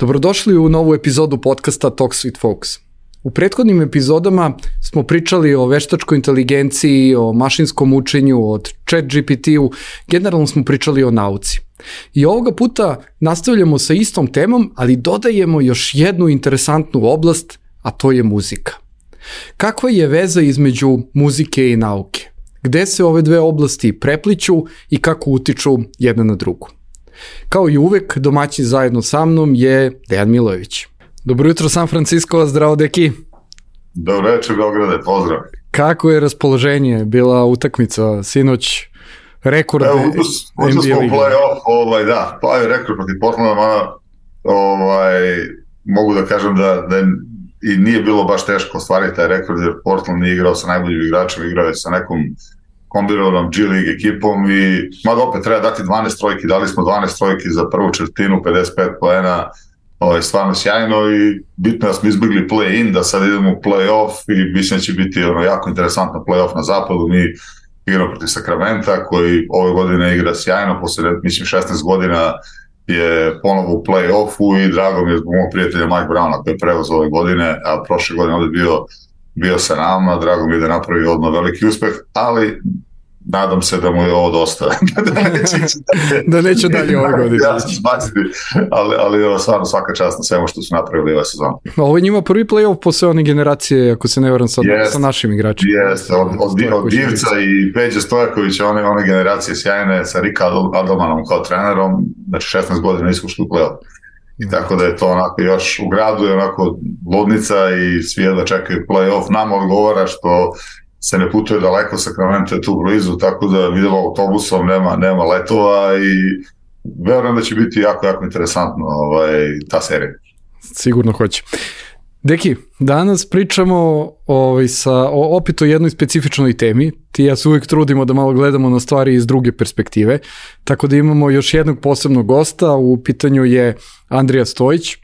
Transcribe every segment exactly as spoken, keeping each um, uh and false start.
Dobrodošli u novu epizodu podcasta Talks with Folks. U prethodnim epizodama smo pričali o veštačkoj inteligenciji, o mašinskom učenju, o chat G P T-u, generalno smo pričali o nauci. I ovoga puta nastavljamo sa istom temom, ali dodajemo još jednu interesantnu oblast, a to je muzika. Kakva je veza između muzike i nauke? Gde se ove dve oblasti prepliću i kako utiču jedna na drugu? Kao i uvek, domaćin zajedno sa mnom je Dejan Milojević. Dobro jutro San Francisco, zdravo deki. Dobro večer Beograde, pozdrav. Kako je raspoloženje, bila utakmica sinoć, rekord Evo, N B A lige? Evo, play-off, ovaj, da, pa je rekord protiv Portlanda, mada, ovaj, mogu da kažem da, da i nije bilo baš teško ostvariti taj rekord, jer Portland nije igrao sa najboljim igračem, igrao je sa nekom kombinovanom G League ekipom i mada opet treba dati dvanaest trojki, dali smo dvanaest trojki za prvu četvrtinu, pedeset pet poena, ovaj, stvarno sjajno i bitno da smo izbjegli play-in, da sad idemo u play-off i mislim da će biti ono, jako interesantno play-off na zapadu. Mi igramo protiv Sakramenta koji ove godine igra sjajno, posle mislim šesnaest godina je ponovo u play-offu i drago mi je zbog mog prijatelja Mike Browna koji je preuzeo ove godine, a prošle godine ovdje bio bio sa nama, drago mi je da napravi odmah veliki uspeh, ali nadam se da mu je ovo dosta. da neće, da neće dalje ove godine. Ja sam zbaciti, ali, ali ovo stvarno svaka čast na svemu što su napravili ove sezone. Ovo je njima prvi play-off posle one generacije, ako se ne varam sad, yes, sa našim igračima. Jeste, od, od, od Divca i Peđe Stojakovića, one, one generacije sjajne, sa Rika Adelmanom kao trenerom, znači šesnaest godina nisu ušli u play-off. I tako da je to onako još u gradu je onako ludnica i svi jedva čekaju play-off. Nam odgovara što se ne putuje daleko, Sacramento je tu blizu, tako da vidimo autobusom, nema, nema letova i verujem da će biti jako, jako interesantno ovaj, ta serija. Sigurno hoće. Deki, danas pričamo ovaj, sa, o, opet o jednoj specifičnoj temi. Ti ja se uvijek trudimo da malo gledamo na stvari iz druge perspektive, tako da imamo još jednog posebnog gosta, u pitanju je Andrija Stojić,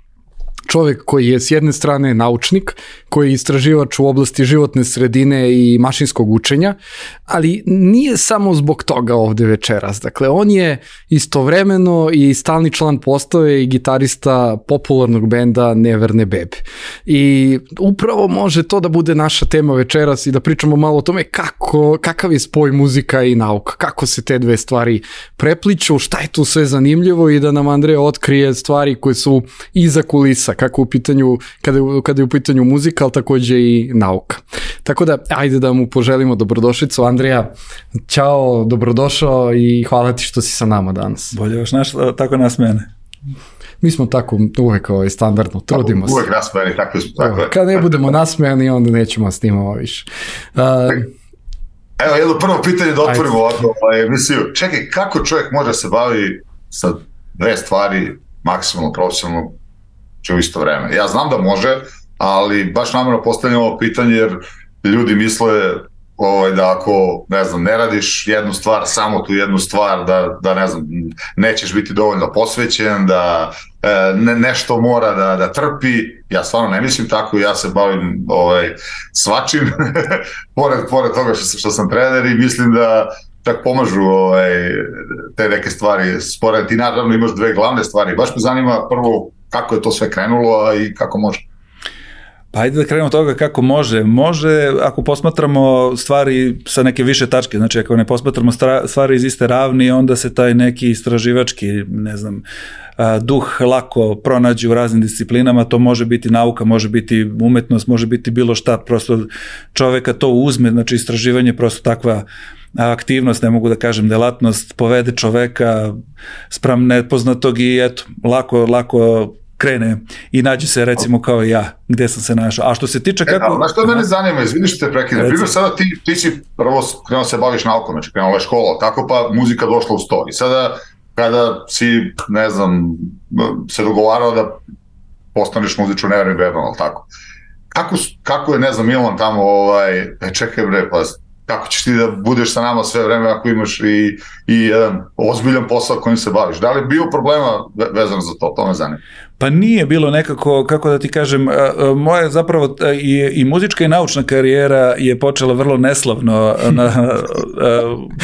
čovjek koji je s jedne strane naučnik, koji je istraživač u oblasti životne sredine i mašinskog učenja, ali nije samo zbog toga ovde večeras. Dakle, on je istovremeno i stalni član postave i gitarista popularnog benda Neverne bebe. I upravo može to da bude naša tema večeras i da pričamo malo o tome kako, kakav je spoj muzika i nauka, kako se te dve stvari prepliću, šta je tu sve zanimljivo i da nam Andreja otkrije stvari koje su iza kulisa, kako u pitanju, kada, kada je u pitanju muzika, ali takođe i nauka. Tako da, ajde da mu poželimo dobrodošlicu. Andrija, ćao, dobrodošao i hvala ti što si sa nama danas. Bolje još naš, tako nas mene. Mi smo tako uvek ovaj, standardno, trudimo se. Uvek nasmejani, tako smo. Tako je. Kad ne budemo nasmejani, onda nećemo snimamo više. Uh, Evo, jedno prvo pitanje da otvorimo ovako emisiju. Čekaj, kako čovjek može se bavi sa dve stvari maksimalno profesionalno u isto vreme? Ja znam da može, ali baš namjerno postavljam ovo pitanje jer ljudi misle ovaj, da ako, ne znam, ne radiš jednu stvar, samo tu jednu stvar, da, da ne znam, nećeš biti dovoljno posvećen, da e, ne, nešto mora da, da trpi. Ja stvarno ne mislim tako, ja se bavim ovaj, svačim, pored, pored toga što, što sam trener i mislim da čak pomažu ovaj, te neke stvari spored. Ti naravno imaš dve glavne stvari. Baš me zanima prvo kako je to sve krenulo, a i kako može. Pa ajde da krenemo od toga kako može. Može ako posmatramo stvari sa neke više tačke, znači ako ne posmatramo stvari iz iste ravni, onda se taj neki istraživački, ne znam, duh lako pronađe u raznim disciplinama, to može biti nauka, može biti umetnost, može biti bilo šta, prosto čoveka to uzme, znači istraživanje je prosto takva aktivnost, ne mogu da kažem delatnost, povede čoveka spram nepoznatog i eto, lako, lako krene i nađe se recimo kao i ja, gde sam se našao. A što se tiče kako... E, znaš što mene zanima, izvini što te prekine. Primjer, sada ti, ti si prvo krenuo se baviš naukom, znači krenula je škola, tako pa muzika došla u sto. I sada kada si, ne znam, se dogovarao da postaneš muzičar Neverne bebe, ali tako. Kako, kako je, ne znam, Milan tamo, ovaj, e, čekaj bre, pa kako ćeš ti da budeš sa nama sve vreme ako imaš i, i jedan ozbiljan posao kojim se baviš? Da li je bio problema vezano za to? To me zanima. Pa nije bilo nekako, kako da ti kažem, moja zapravo i, i muzička i naučna karijera je počela vrlo neslavno. Na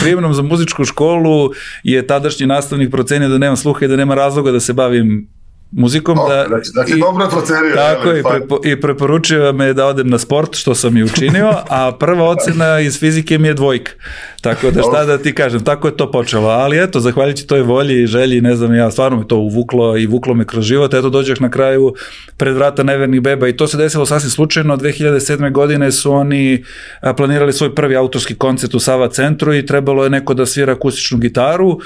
prijemnom za muzičku školu je tadašnji nastavnik procenio da nemam sluha i da nema razloga da se bavim muzikom. Oh, da, znači, znači, i, dobro procerio. Tako, je, i, prepo, i preporučio me da odem na sport, što sam i učinio, a prva ocena iz fizike mi je dvojka. Tako da šta da ti kažem, tako je to počelo. Ali eto, zahvaljujući toj volji i želji, ne znam, ja stvarno me to uvuklo i vuklo me kroz život. Eto, dođeš na kraju pred vrata Nevernih beba i to se desilo sasvim slučajno. dve hiljade sedme. godine su oni planirali svoj prvi autorski koncert u Sava centru i trebalo je neko da svira akustičnu gitaru.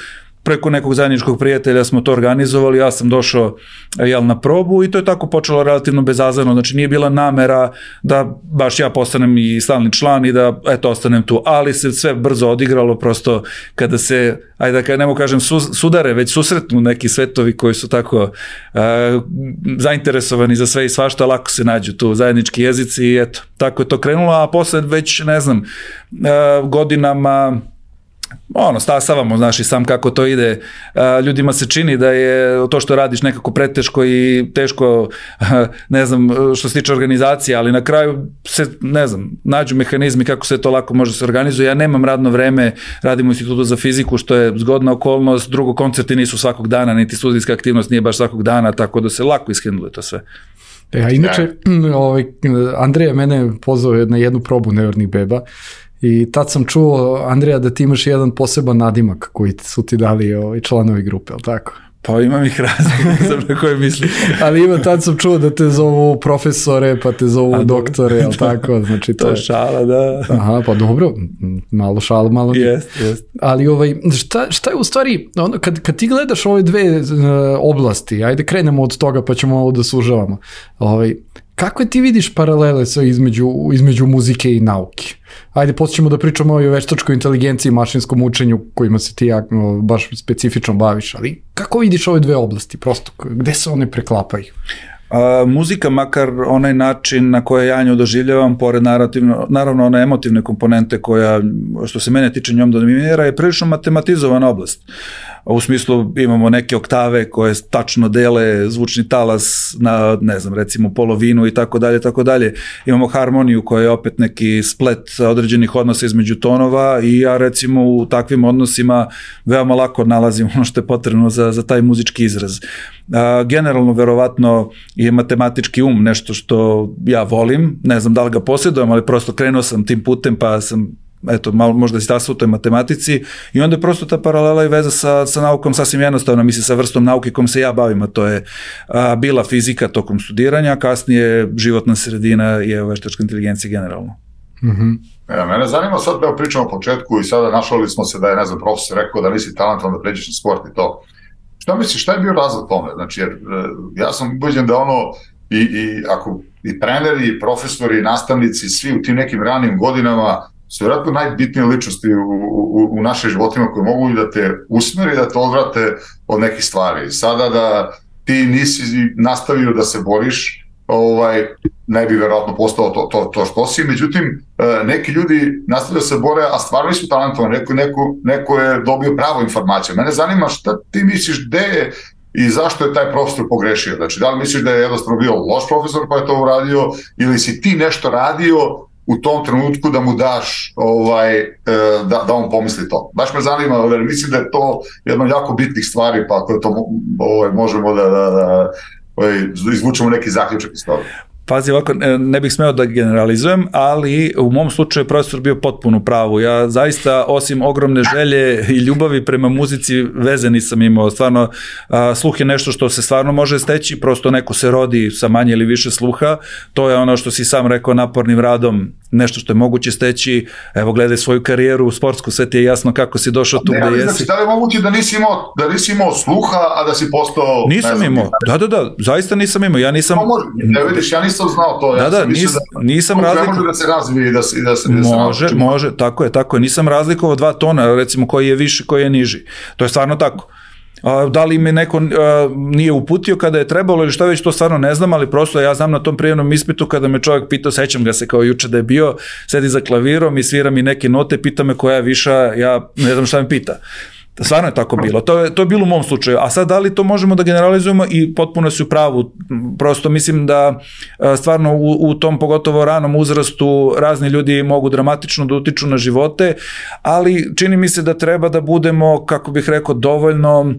Preko nekog zajedničkog prijatelja smo to organizovali, ja sam došao jel, na probu i to je tako počelo relativno bezazleno, znači nije bila namera da baš ja postanem i stalni član i da eto ostanem tu, ali se sve brzo odigralo prosto kada se, ajde da ne mogu kažem su, sudare, već susretnu neki svetovi koji su tako uh, zainteresovani za sve i svašta, lako se nađu tu zajednički jezici i eto, tako je to krenulo, a posle već ne znam, uh, godinama ono, stasavamo, znaš i sam kako to ide, ljudima se čini da je to što radiš nekako preteško i teško, ne znam, što se tiče organizacije, ali na kraju se, ne znam, nađu mehanizmi kako se to lako može se organizuje. Ja nemam radno vreme, radim u Institutu za fiziku, što je zgodna okolnost, drugo, koncerti nisu svakog dana, niti studijska aktivnost nije baš svakog dana, tako da se lako ishendluje to sve. E, a inače, ovaj, Andrija mene pozvao na jednu probu Nevernih beba, i tad sam čuo, Andrija, da ti imaš jedan poseban nadimak koji su ti dali ovaj, članovi grupe, ali tako? Pa imam ih raznih, ne znam na koje mislim. Ali ima, tad sam čuo da te zovu profesore, pa te zovu A, doktore, ali tako? Znači, to, to je šala, da. Aha, pa dobro, malo šala, malo nije. Jest, jest. Ali ovaj, šta, šta je u stvari, ono, kad, kad ti gledaš ove dve uh, oblasti, ajde krenemo od toga pa ćemo ovo da sužavamo, ovaj, kako ti vidiš paralele sa između, između muzike i nauke? Ajde, poslije ćemo da pričamo o veštačkoj inteligenciji i mašinskom učenju kojima se ti no, baš specifično baviš, ali kako vidiš ove dve oblasti, prosto, gde se one preklapaju? A, muzika, makar onaj način na koje ja nju doživljavam, pored naravno one emotivne komponente koja, što se mene tiče, njom dominira, je prilično matematizovana oblast. U smislu imamo neke oktave koje tačno dele zvučni talas na, ne znam, recimo polovinu i tako dalje, tako dalje. Imamo harmoniju koja je opet neki splet određenih odnosa između tonova i ja recimo u takvim odnosima veoma lako nalazim ono što je potrebno za, za taj muzički izraz. A, generalno, verovatno je matematički um nešto što ja volim, ne znam da li ga posjedujem, ali prosto krenuo sam tim putem pa sam eto, malo možda si tasao u toj matematici i onda je prosto ta paralela i veza sa, sa naukom sasvim jednostavno, mislim, sa vrstom nauke kojom se ja bavim, a to je a, bila fizika tokom studiranja, a kasnije životna sredina i veštačka inteligencija generalno. Mm-hmm. Ja, mene zanima sad da pričamo o početku i sada našali smo se da je, ne znam, profesor rekao da nisi talentovan da pređeš na sport i to. Šta misliš, šta je bio razlog tome? Znači, jer ja sam ubeđen da ono i, i ako i treneri, i profesori, i nastavnici, svi u tim nekim ranim godinama su vjerojatno najbitnije ličnosti u, u, u našim životima koje mogu da te usmeri, da te odvrate od nekih stvari. Sada da ti nisi nastavio da se boriš, ovaj, ne bi vjerojatno postao to, to, to što si. Međutim, neki ljudi nastavljaju da se bore, a stvarno nisu talentovani. Neko, neko, neko je dobio pravu informaciju. Mene zanima šta ti misliš, gde je i zašto je taj profesor pogrešio. Znači, da li misliš da je jednostavno bio loš profesor pa je to uradio, ili si ti nešto radio u tom trenutku da mu daš ovaj, da, da on pomisli to. Baš me zanima, jer mislim da je to jedna od jako bitnih stvari, pa ako to ovaj, možemo da, da, da ovaj, izvučemo neki zaključak iz toga. Pazi, ovako, ne bih smeo da generalizujem, ali u mom slučaju je profesor bio potpuno u pravu. Ja zaista, osim ogromne želje i ljubavi prema muzici, veze nisam imao. Stvarno, a, sluh je nešto što se stvarno može steći, prosto neko se rodi sa manje ili više sluha. To je ono što si sam rekao, napornim radom, nešto što je moguće steći. Evo, gledaj svoju karijeru sportsku, sve ti je jasno kako si došao tu gde jesi. Da li je moguće da nisi imao, da nisi imao sluha, a da si postao... Nisam imao, da, da, da, zaista nisam imao. Ja nisam... Ne vidiš, ja nisam znao to. Da, ja da, nis, da, nisam razlikovao. Može da se razvije i da se, da se, da se Može, nauči. može, tako je, tako je. Nisam razlikovao dva tona, recimo koji je viši, koji je niži. To je stvarno tako. A, da li me neko a, nije uputio kada je trebalo ili šta već, to stvarno ne znam, ali prosto ja znam na tom prijemnom ispitu kada me čovjek pitao, sećam ga se kao juče da je bio, sedi za klavirom i svira mi neke note, pita me koja je viša, ja ne znam šta me pita. Stvarno je tako bilo. To je, to je bilo u mom slučaju. A sad, da li to možemo da generalizujemo i potpuno si u pravu. Prosto mislim da stvarno u, u tom pogotovo ranom uzrastu razni ljudi mogu dramatično da utiču na živote, ali čini mi se da treba da budemo, kako bih rekao, dovoljno,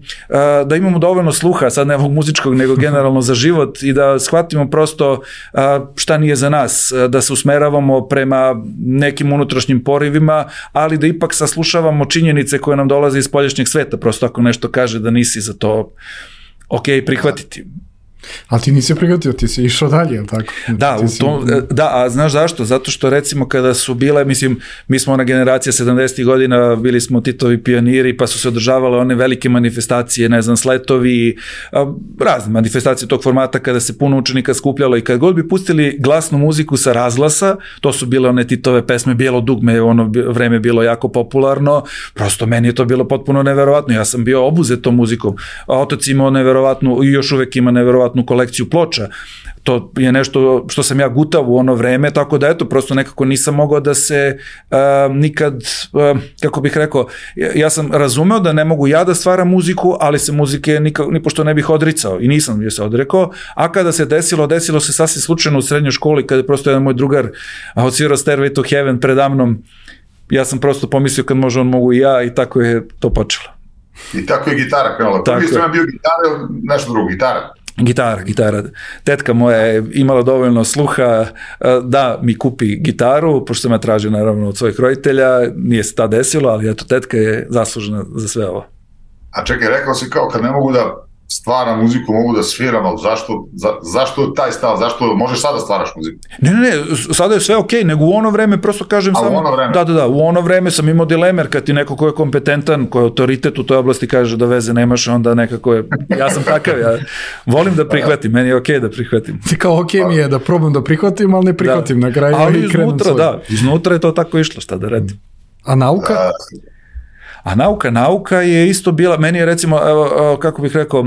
da imamo dovoljno sluha, sad ne ovog muzičkog, nego generalno za život i da shvatimo prosto šta nije za nas, da se usmeravamo prema nekim unutrašnjim porivima, ali da ipak saslušavamo činjenice koje nam dolaze iz poljašnjeg sveta, prosto ako nešto kaže da nisi za to, ok, prihvatiti. Ali ti nisi prihvatio, ti si išao dalje, je li tako? Da, u tom, da, a znaš zašto? Zato što recimo kada su bile, mislim, mi smo ona generacija sedamdesetih godina, bili smo Titovi pioniri, pa su se održavale one velike manifestacije, ne znam, sletovi, razne manifestacije tog formata kada se puno učenika skupljalo i kad god bi pustili glasnu muziku sa razglasa, to su bile one Titove pesme, Bijelo dugme, ono vreme bilo jako popularno, prosto meni je to bilo potpuno neverovatno, ja sam bio obuzet tom muzikom, a otac imao neverovatnu i još uvek ima neverovatnu kolekciju ploča. To je nešto što sam ja gutao u ono vreme, tako da eto, prosto nekako nisam mogao da se uh, nikad, uh, kako bih rekao, ja sam razumeo da ne mogu ja da stvaram muziku, ali se muzike nikako, ni pošto ne bih odricao i nisam je se odrekao, a kada se desilo, desilo se sasvim slučajno u srednjoj školi, kada je prosto jedan moj drugar odsvirao Stairway to Heaven predamnom, ja sam prosto pomislio kad može on mogu i ja i tako je to počelo. I tako je gitara krenula. Prvi sam bio gitara, nešto drugo, gitara. Gitara, gitara. Tetka moja je imala dovoljno sluha da mi kupi gitaru, pošto sam ja tražio naravno od svojih roditelja, nije se ta desilo, ali eto, tetka je zaslužena za sve ovo. A čekaj, rekao si kao kad ne mogu da stvaram muziku, mogu da sviram, ali zašto, za, zašto taj stav, zašto možeš sada stvaraš muziku? Ne, ne, ne, sada je sve okej, okay, nego u ono vreme prosto kažem A samo... u ono vreme? Da, da, da, u ono vreme sam imao dilemer, kad ti neko ko je kompetentan, ko je autoritet u toj oblasti kaže da veze nemaš, onda nekako je, ja sam takav, ja volim da prihvatim, meni je okej okay da prihvatim. Ti kao okej okay mi je da probam da prihvatim, ali ne prihvatim da. Na kraju ali i krenem iznutra, da, iznutra je to tako išlo, šta da radim. A nauka? Da. A nauka, nauka je isto bila, meni je recimo, kako bih rekao,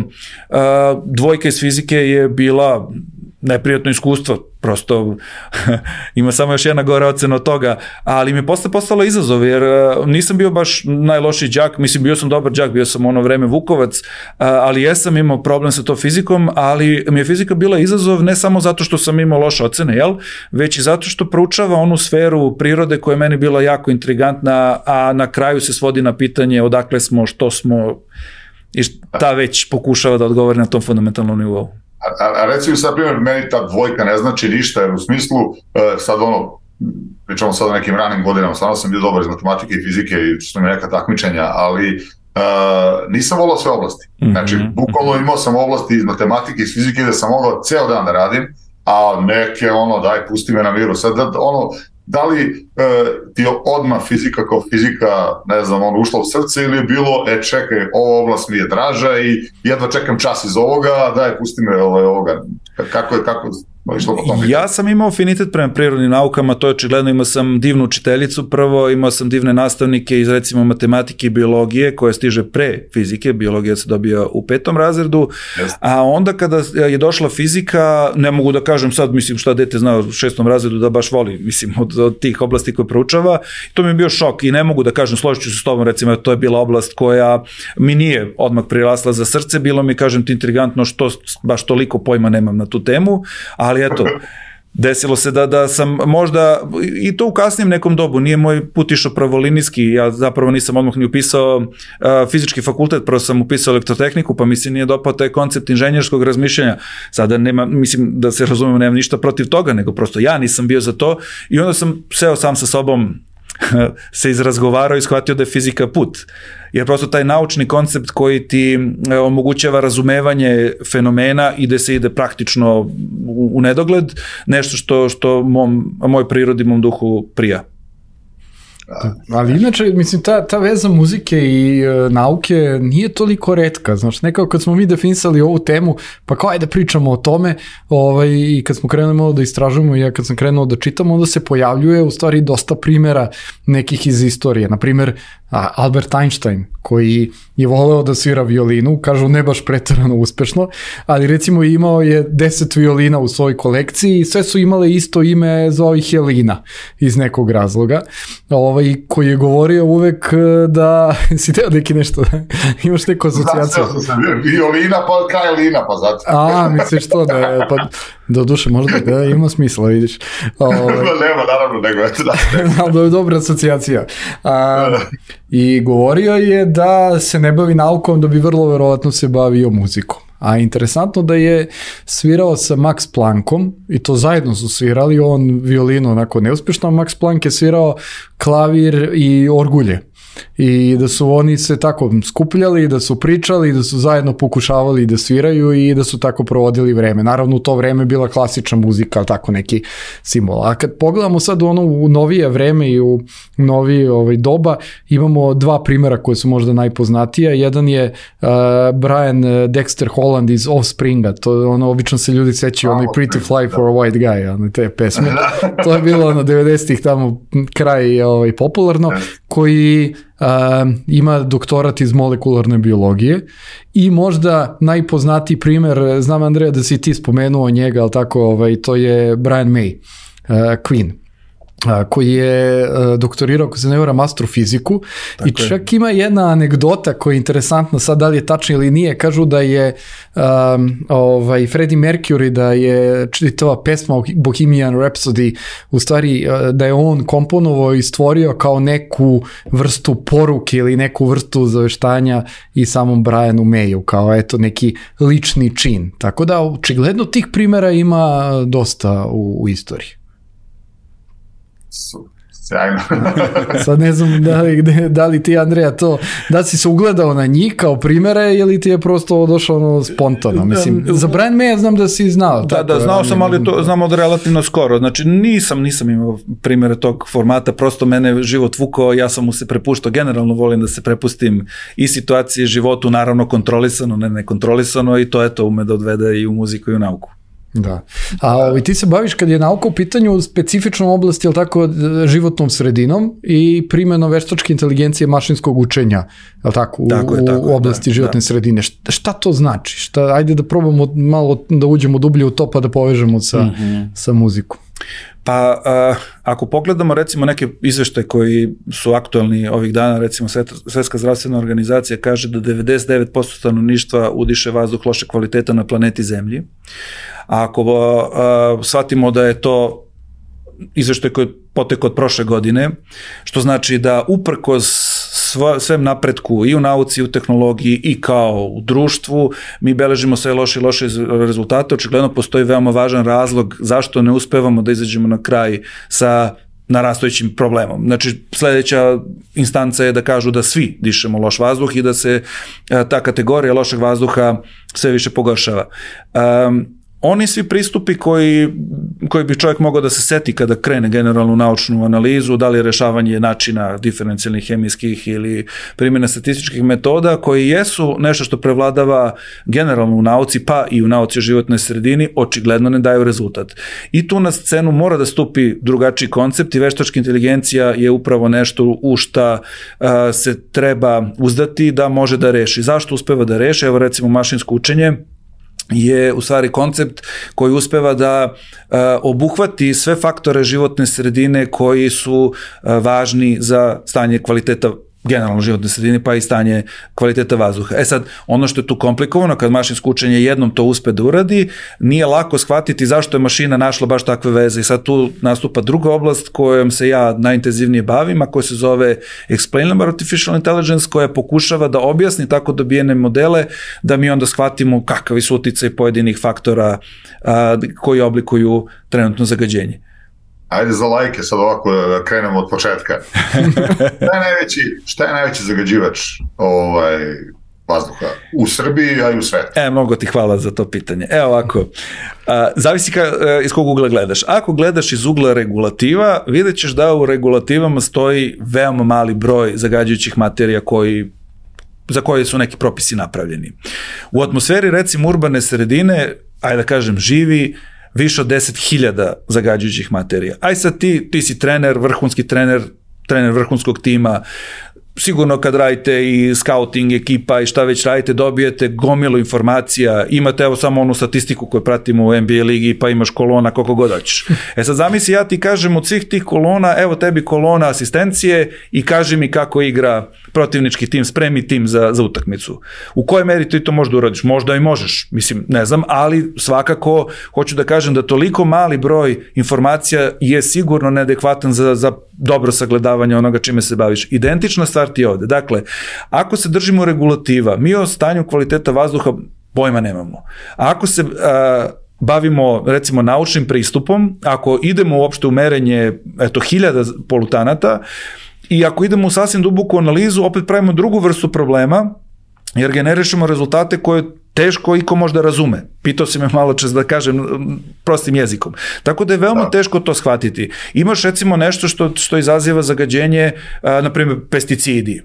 dvojka iz fizike je bila neprijatno iskustvo, prosto ima samo još jedna gora ocena od toga, ali mi je posle postalo izazov, jer nisam bio baš najlošiji đak, mislim bio sam dobar đak, bio sam ono vreme Vukovac, ali jesam imao problem sa to fizikom, ali mi je fizika bila izazov ne samo zato što sam imao loše ocene, jel? Već i zato što proučava onu sferu prirode koja je meni bila jako intrigantna, a na kraju se svodi na pitanje odakle smo, što smo, i ta već pokušava da odgovori na tom fundamentalnom nivou. A, a, a recimo sad, primjer, meni ta dvojka ne znači ništa, jer u smislu, e, sad ono, pričamo sad o nekim ranim godinama, stvarno sam bio dobar iz matematike i fizike i što mi neka takmičenja, ali e, nisam volao sve oblasti. Znači, bukvalno imao sam oblasti iz matematike i iz fizike da sam mogao ceo dan da radim, a neke ono, daj, pusti me na miru. Sad, da, ono, da li e, ti je odmah fizika kao fizika, ne znam, ono, ušla u srce ili je bilo, e čekaj, ova oblast mi je draža i jedva čekam čas iz ovoga, daj, pusti me ovaj, ovoga. Kako je, kako išlo po tom? Ja sam imao afinitet prema prirodnim naukama, to je očigledno, imao sam divnu učiteljicu prvo, imao sam divne nastavnike iz recimo matematike i biologije, koja stiže pre fizike, biologija se dobija u petom razredu, yes. A onda kada je došla fizika, ne mogu da kažem sad, mislim šta dete zna u šestom razredu da baš voli, mislim, od, od tih oblasti koje proučava, to mi je bio šok i ne mogu da kažem, složit ću se s tobom, recimo, to je bila oblast koja mi nije odmah prirasla za srce, bilo mi, kažem ti, intrigantno što baš toliko pojma nemam na tu temu, ali eto, desilo se da, da sam možda, i to u kasnijem nekom dobu, nije moj put išao pravolinijski, ja zapravo nisam odmah ni upisao uh, fizički fakultet, prvo sam upisao elektrotehniku, pa mi se nije dopao taj koncept inženjerskog razmišljanja, sada nema, mislim da se razumemo, nemam ništa protiv toga, nego prosto ja nisam bio za to i onda sam seo sam sa sobom, se izrazgovarao i shvatio da je fizika put. Jer prosto taj naučni koncept koji ti omogućava razumevanje fenomena i da se ide praktično u, u nedogled, nešto što, što mom, moj prirodi, mom duhu prija. Ali inače, mislim, ta, ta veza muzike i e, nauke nije toliko retka, znaš, nekako kad smo mi definisali ovu temu, pa kao ajde pričamo o tome, ovaj, i kad smo krenuli malo da istražujemo i ja kad sam krenuo da čitam, onda se pojavljuje u stvari dosta primjera nekih iz istorije, na primjer Albert Einstein, koji je voleo da svira violinu, kažu ne baš preterano uspešno, ali recimo imao je deset violina u svojoj kolekciji i sve su imale isto ime, zove ih Jelina iz nekog razloga. Ovaj, ovaj, koji je govorio uvek da si teo neki nešto, imaš neku asocijaciju. Znači, sam violina pa kraj lina, pa zato. A, misliš to da je, pa do duše možda da ima smisla, vidiš. Ovaj, nema, naravno, nego eto da. Da je dobra asocijacija. A, I govorio je da se ne bavi naukom, da bi vrlo verovatno se bavio muzikom. A interesantno da je svirao sa Max Planckom i to zajedno su svirali, on violinu onako neuspješno, a Max Planck je svirao klavir i orgulje. I da su oni se tako skupljali, da su pričali, da su zajedno pokušavali da sviraju i da su tako provodili vreme. Naravno u to vreme bila klasična muzika, tako neki simbol. A kad pogledamo sad u ono u novije vreme i u novije ovaj, doba, imamo dva primjera koje su možda najpoznatija. Jedan je uh, Brian Dexter Holland iz Offspringa, to ono, obično se ljudi sećaju onaj Pretty Fly for a White Guy, ono, te pesme. To je bilo ono devedesetih tamo kraj ovaj, popularno, koji Uh, ima doktorat iz molekularne biologije i možda najpoznatiji primjer, znam Andreja da si ti spomenuo njega, ali tako, ovaj, to je Brian May, uh, Queen, uh, koji je uh, doktorirao, ako se ne varam, astrofiziku tako i čak je. Ima jedna anegdota koja je interesantna, sad da li je tačna ili nije, kažu da je um, ovaj, Freddie Mercury, da je čitava pesma Bohemian Rhapsody, u stvari uh, da je on komponovao i stvorio kao neku vrstu poruke ili neku vrstu zaveštanja i samom Brianu Mayu, kao eto neki lični čin. Tako da očigledno tih primjera ima dosta u, u istoriji. Sjajno. Sad ne znam da li, da li ti, Andreja, to, da si se ugledao na njih kao primere ili ti je prosto došao ono spontano. Mislim, za Brian May znam da si znao. Da, tako, da, znao sam, ali to znam od relativno skoro. Znači nisam, nisam imao primere tog formata, prosto mene život vukao, ja sam mu se prepuštao, generalno volim da se prepustim i situaciji, životu, naravno kontrolisano, ne nekontrolisano i to eto ume da odvede i u muziku i u nauku. Da. A ovaj, ti se baviš kad je nauka u pitanju u specifičnom oblasti, jel tako, životnom sredinom i primjenom veštačke inteligencije mašinskog učenja, jel tako, u, tako je, tako u oblasti da, životne da. sredine. Šta, šta to znači? Šta, ajde da probamo malo da uđemo dublje u to pa da povežemo sa, mm-hmm. sa muzikom. Pa uh, ako pogledamo recimo neke izveštaje koji su aktualni ovih dana, recimo Svjetska zdravstvena organizacija kaže da devedeset devet posto stanovništva udiše vazduh loše kvaliteta na planeti Zemlji. A ako uh, shvatimo da je to izveštaj koji je potekao od prošle godine, što znači da uprkos svem napretku i u nauci i u tehnologiji i kao u društvu, mi beležimo sve loše i loše rezultate. Očigledno postoji veoma važan razlog zašto ne uspevamo da izađemo na kraj sa narastojućim problemom. Znači, sledeća instanca je da kažu da svi dišemo loš vazduh i da se ta kategorija lošeg vazduha sve više pogoršava. Um, Oni svi pristupi koji, koji bi čovjek mogao da se seti kada krene generalnu naučnu analizu, da li je rešavanje načina diferencijalnih hemijskih ili primjena statističkih metoda, koji jesu nešto što prevladava generalno u nauci, pa i u nauci o životnoj sredini, očigledno ne daju rezultat. I tu na scenu mora da stupi drugačiji koncept i veštačka inteligencija je upravo nešto u šta uh, se treba uzdati da može da reši. Zašto uspeva da reši? Evo recimo mašinsko učenje je u stvari koncept koji uspeva da uh, obuhvati sve faktore životne sredine koji su uh, važni za stanje kvaliteta generalno životne sredine, pa i stanje kvaliteta vazduha. E sad, ono što je tu komplikovano, kad mašinsko učenje jednom to uspe da uradi, nije lako shvatiti zašto je mašina našla baš takve veze i sad tu nastupa druga oblast kojom se ja najintenzivnije bavim, a koja se zove Explainable Artificial Intelligence, koja pokušava da objasni tako dobijene modele, da mi onda shvatimo kakavi su uticaj pojedinih faktora a, koji oblikuju trenutno zagađenje. Ajde za lajke sad ovako da krenemo od početka. Šta je najveći, šta je najveći zagađivač ovaj, vazduha u Srbiji, a i u svetu? E, mnogo ti hvala za to pitanje. Evo ovako, a, zavisi ka, a, iz kog ugla gledaš. Ako gledaš iz ugla regulativa, vidjet ćeš da u regulativama stoji veoma mali broj zagađujućih materija koji za koje su neki propisi napravljeni. U atmosferi, recimo, urbane sredine, ajde da kažem, živi više od deset hiljada zagađujućih materija. Aj sad ti, ti si trener, vrhunski trener, trener vrhunskog tima, sigurno kad radite i scouting ekipa i šta već radite, dobijete gomilu informacija, imate evo samo onu statistiku koju pratimo u N B A ligi, pa imaš kolona koliko god hoćeš. E sad zamisli, ja ti kažem od svih tih kolona, evo tebi kolona asistencije i kaži mi kako igra protivnički tim, spremi tim za, za utakmicu. U kojoj meri ti to možda uradiš? Možda i možeš, mislim, ne znam, ali svakako hoću da kažem da toliko mali broj informacija je sigurno neadekvatan za, za dobro sagledavanje onoga čime se baviš. Identična stvar ti je ovde. Dakle, ako se držimo regulativa, mi o stanju kvaliteta vazduha pojma nemamo. A ako se a, bavimo, recimo, naučnim pristupom, ako idemo uopšte u merenje, eto, hiljada polutanata, i ako idemo u sasvim duboku analizu, opet pravimo drugu vrstu problema, jer generišemo rezultate koje teško iko možda razume. Pitao si me malo čas da kažem prostim jezikom. Tako da je veoma da. teško to shvatiti. Imaš recimo nešto što, što izaziva zagađenje, a, na primjer pesticidi,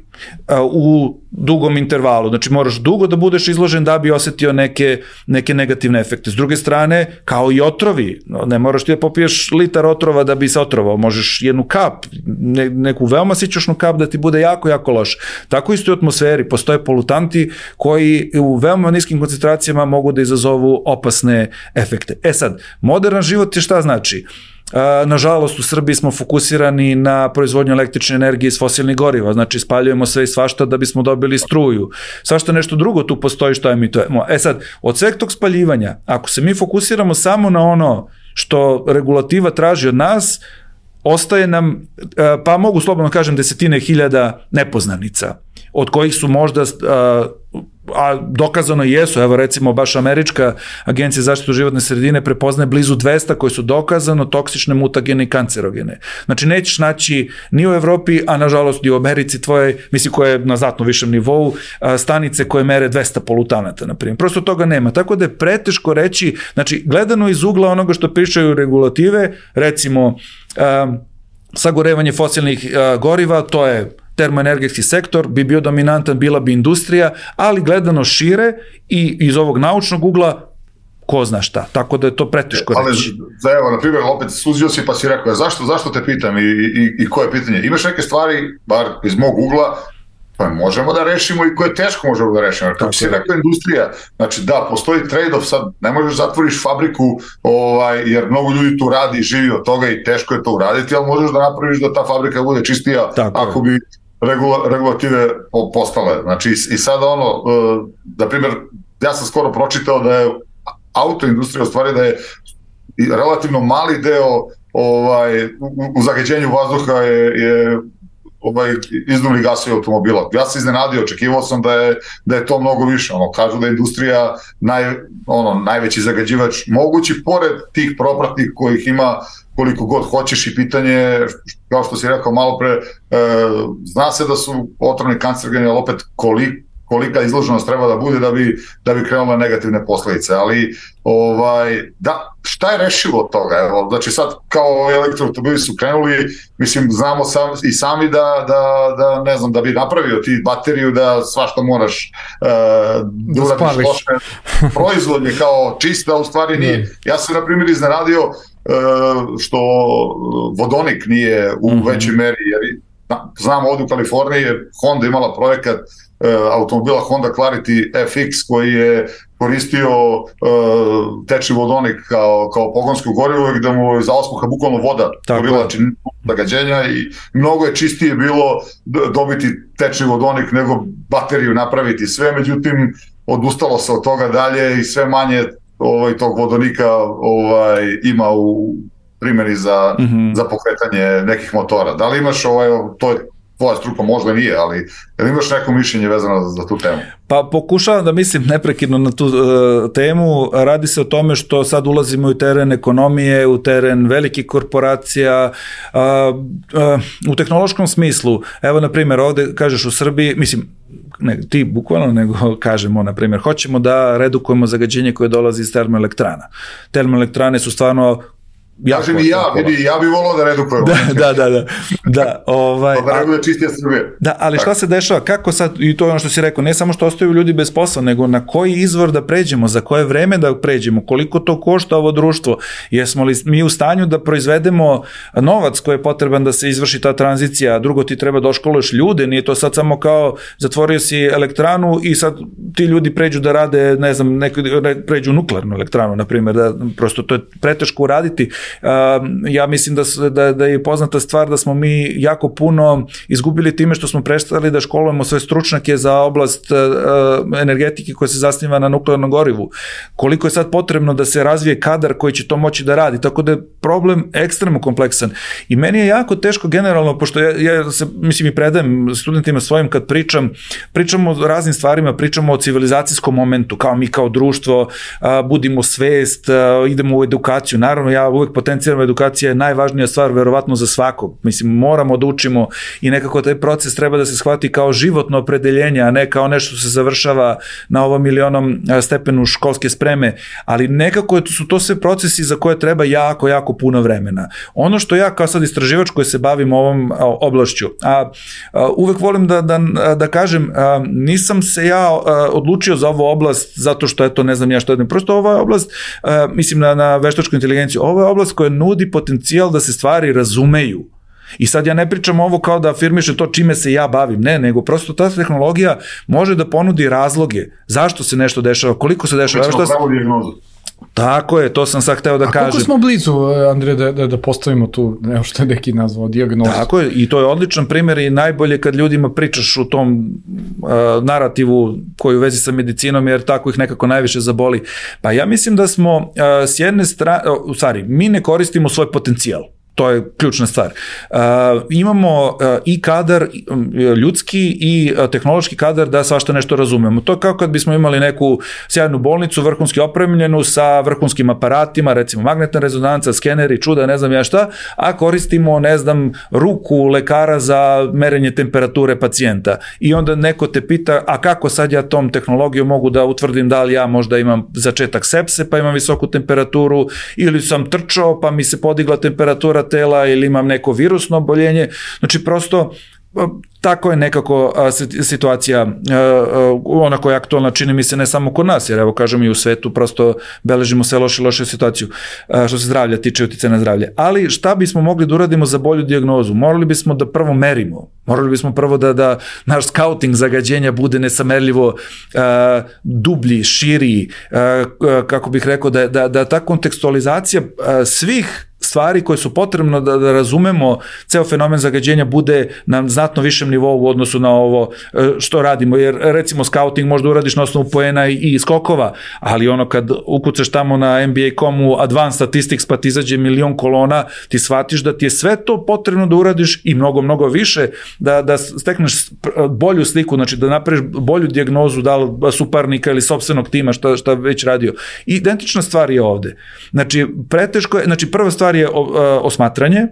a, u dugom intervalu. Znači moraš dugo da budeš izložen da bi osetio neke, neke negativne efekte. S druge strane, kao i otrovi, ne moraš ti da popiješ litar otrova da bi se otrovao. Možeš jednu kap, ne, neku veoma sićušnu kap da ti bude jako, jako loš. Tako isto i u atmosferi. Postoje polutanti koji u veoma niskim koncentracijama mogu da izazovu opasne efekte. E sad, moderan život je šta znači? Nažalost, u Srbiji smo fokusirani na proizvodnju električne energije iz fosilnih goriva, znači spaljujemo sve i svašta da bismo dobili struju. Svašta nešto drugo tu postoji što emitujemo. E sad, od sveg tog spaljivanja, ako se mi fokusiramo samo na ono što regulativa traži od nas, ostaje nam, pa mogu slobodno kažem, desetine hiljada nepoznanica, od kojih su možda, a dokazano jesu, evo recimo baš Američka agencija za zaštitu životne sredine prepoznaje blizu dvesta koji su dokazano toksične, mutagene i kancerogene. Znači nećeš naći ni u Evropi, a nažalost i u Americi tvoje, misli koje je na znatno višem nivou, stanice koje mere dvesta polutanata, na primjer. Prosto toga nema. Tako da je preteško reći, znači gledano iz ugla onoga što pričaju regulative, recimo um, sagorevanje fosilnih uh, goriva, to je termoenergetski sektor, bi bio dominantan, bila bi industrija, ali gledano šire i iz ovog naučnog ugla, ko zna šta. Tako da je to preteško reći. Ali, za evo, na primjer, opet suzio si pa si rekao, zašto, zašto te pitam i, i, i koje pitanje? Imaš neke stvari, bar iz mog ugla, pa možemo da rešimo i koje teško možemo da rešimo. Kako si rekao, industrija, znači da, postoji trade-off, sad ne možeš zatvoriš fabriku, ovaj, jer mnogo ljudi tu radi i živi od toga i teško je to uraditi, ali možeš da napraviš da ta fabrika bude čistija. Tako ako bi Regula, regulative postale. Znači, i, i sada ono, uh, na primjer, ja sam skoro pročitao da je autoindustrija u stvari da je relativno mali deo ovaj, u, u zagađenju vazduha je, je ovaj, izduvni gasovi automobila. Ja sam iznenadio, očekivao sam da je, da je to mnogo više. Ono, kažu da je industrija naj, ono, najveći zagađivač mogući, pored tih propratnih kojih ima koliko god hoćeš i pitanje, kao što si rekao malo pre, e, zna se da su otrovni kancerogeni, ali opet koliko kolika izloženost treba da bude da bi, da bi krenula negativne posledice, ali ovaj, da, šta je rešivo od toga? Evo, znači sad kao elektroautomobili su krenuli, mislim, znamo sam, i sami da, da, da, ne znam, da bi napravio ti bateriju da svašta moraš uh, da uradiš loše. Proizvod je kao čista, u stvari nije. Ja sam, na primjer, iznenadio uh, što vodonik nije u mm-hmm. većoj meri, jer znam ovdje u Kaliforniji je Honda imala projekat automobila Honda Clarity F X koji je koristio uh, tečni vodonik kao, kao pogonsko gorivo gde mu za osmuha bukvalno voda korila zagađenja i mnogo je čistije bilo dobiti tečni vodonik nego bateriju napraviti sve, međutim odustalo se od toga dalje i sve manje ovaj, tog vodonika ovaj, ima u primjeni za, mm-hmm. za pokretanje nekih motora. Da li imaš ovaj, to je tvoja struka, možda nije, ali jel imaš neko mišljenje vezano za, za tu temu? Pa pokušavam da mislim neprekidno na tu uh, temu. Radi se o tome što sad ulazimo u teren ekonomije, u teren velikih korporacija, uh, uh, u tehnološkom smislu. Evo, na primjer, ovde kažeš u Srbiji, mislim, ne ti bukvalno, nego kažemo, na primjer, hoćemo da redukujemo zagađenje koje dolazi iz termoelektrana. Termoelektrane su stvarno Kažem i ja, vidi, ja bih volao da redukujem. Da, da, da, da. Da, ovaj, da reduje čistija Srbije. Da, ali šta se dešava, kako sad, i to je ono što si rekao, ne samo što ostaju ljudi bez posla, nego na koji izvor da pređemo, za koje vreme da pređemo, koliko to košta ovo društvo, jesmo li mi u stanju da proizvedemo novac koji je potreban da se izvrši ta tranzicija, drugo ti treba da oškoluješ ljude, nije to sad samo kao zatvorio si elektranu i sad ti ljudi pređu da rade, ne znam, neko, pređu nuklearnu elektranu, na primjer, da prosto to je preteško uraditi. Ja mislim da, da, da je poznata stvar da smo mi jako puno izgubili time što smo prestali da školujemo sve stručnjake za oblast energetike koja se zasniva na nuklearnom gorivu. Koliko je sad potrebno da se razvije kadar koji će to moći da radi, tako da je problem ekstremno kompleksan. I meni je jako teško generalno, pošto ja, ja se, mislim i predajem studentima svojim kad pričam, pričamo o raznim stvarima, pričamo o civilizacijskom momentu, kao mi kao društvo, budimo svest, idemo u edukaciju. Naravno, ja uvek potencijalna edukacija je najvažnija stvar, verovatno za svakog. Mislim, moramo da učimo i nekako taj proces treba da se shvati kao životno opredeljenje, a ne kao nešto se završava na ovom milionom stepenu školske spreme, ali nekako su to sve procesi za koje treba jako, jako puno vremena. Ono što ja kao sad istraživač koji se bavim ovom oblašću, a, a uvek volim da, da, da kažem, a, nisam se ja a, odlučio za ovu oblast zato što eto ne znam ja što je, prosto ova oblast, a, mislim na, na veštačku inteligenciju, ovo je oblast koja nudi potencijal da se stvari razumeju. I sad ja ne pričam ovo kao da afirmiše to čime se ja bavim, ne, nego prosto ta tehnologija može da ponudi razloge zašto se nešto dešava, koliko se dešava. Pričamo pravo dijagnozu. Tako je, to sam sad hteo da A kažem. A koliko smo blizu, Andrej, da, da, da postavimo tu, evo što je neki nazvao, dijagnozu? Tako je, i to je odličan primjer i najbolje kad ljudima pričaš u tom uh, narativu koji u vezi sa medicinom, jer tako ih nekako najviše zaboli. Pa ja mislim da smo uh, s jedne strane, u uh, stvari, mi ne koristimo svoj potencijal. To je ključna stvar. Uh, imamo uh, i kadar um, ljudski i uh, tehnološki kadar da svašta nešto razumemo. To je kao kad bismo imali neku sjajnu bolnicu, vrhunski opremljenu sa vrhunskim aparatima, recimo magnetna rezonanca, skeneri, čuda, ne znam ja šta, a koristimo, ne znam, ruku lekara za merenje temperature pacijenta. I onda neko te pita, a kako sad ja tom tehnologijom mogu da utvrdim da li ja možda imam začetak sepse, pa imam visoku temperaturu, ili sam trčao, pa mi se podigla temperatura tela ili imam neko virusno oboljenje. Znači prosto tako je nekako a, situacija a, a, ona koja je aktualna, čini mi se ne samo kod nas, jer evo kažem i u svetu prosto beležimo sve loše loše situaciju a, što se zdravlja tiče, uticaja na zdravlje. Ali šta bismo mogli da uradimo za bolju dijagnozu? Morali bismo da prvo merimo, morali bismo prvo da, da naš skauting zagađenja bude nesamerljivo a, dublji, širi, a, kako bih rekao da, da, da ta kontekstualizacija a, svih stvari koje su potrebno da, da razumemo ceo fenomen zagađenja bude na znatno višem nivou u odnosu na ovo što radimo, jer recimo scouting možda uradiš na osnovu poena i, i skokova, ali ono kad ukucaš tamo na N B A dot com-u Advanced Statistics pa ti izađe milion kolona, ti shvatiš da ti je sve to potrebno da uradiš i mnogo, mnogo više da, da stekneš bolju sliku, znači da napraviš bolju dijagnozu da li suparnika ili sopstvenog tima šta, šta već radio. Identična stvar je ovde. Znači, preteško je, znači prva stvar je osmatranje,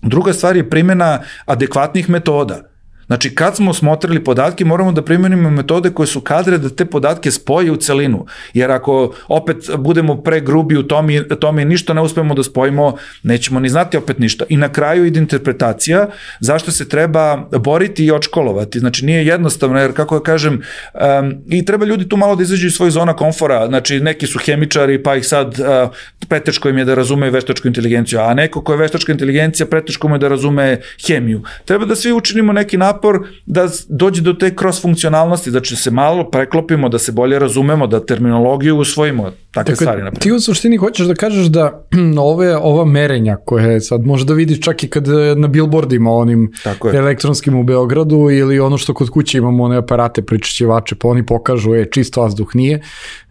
druga stvar je primjena adekvatnih metoda. Znači, kad smo osmotrili podatke, moramo da primenimo metode koje su kadre da te podatke spoje u celinu. Jer ako opet budemo pregrubi u tome, tome ništa ne uspemo da spojimo, nećemo ni znati opet ništa. I na kraju ide interpretacija zašto se treba boriti i odškolovati. Znači, nije jednostavno, jer kako ja kažem, um, i treba ljudi tu malo da izađu iz svojih zona komfora. Znači, neki su hemičari, pa ih sad uh, preteško im je da razume veštačku inteligenciju, a neko ko je veštačka inteligencija, preteško mu je da razume hemiju. Treba da svi učinimo neki napor da dođe do te cross-funkcionalnosti, da će se malo preklopimo, da se bolje razumemo, da terminologiju usvojimo, takve dakle, stvari. Naprijed. Ti u suštini hoćeš da kažeš da ove, ova merenja koje sad možeš da vidiš čak i kad na billboardima onim elektronskim u Beogradu ili ono što kod kuće imamo one aparate pričišćivače, pa oni pokažu je čist vazduh nije,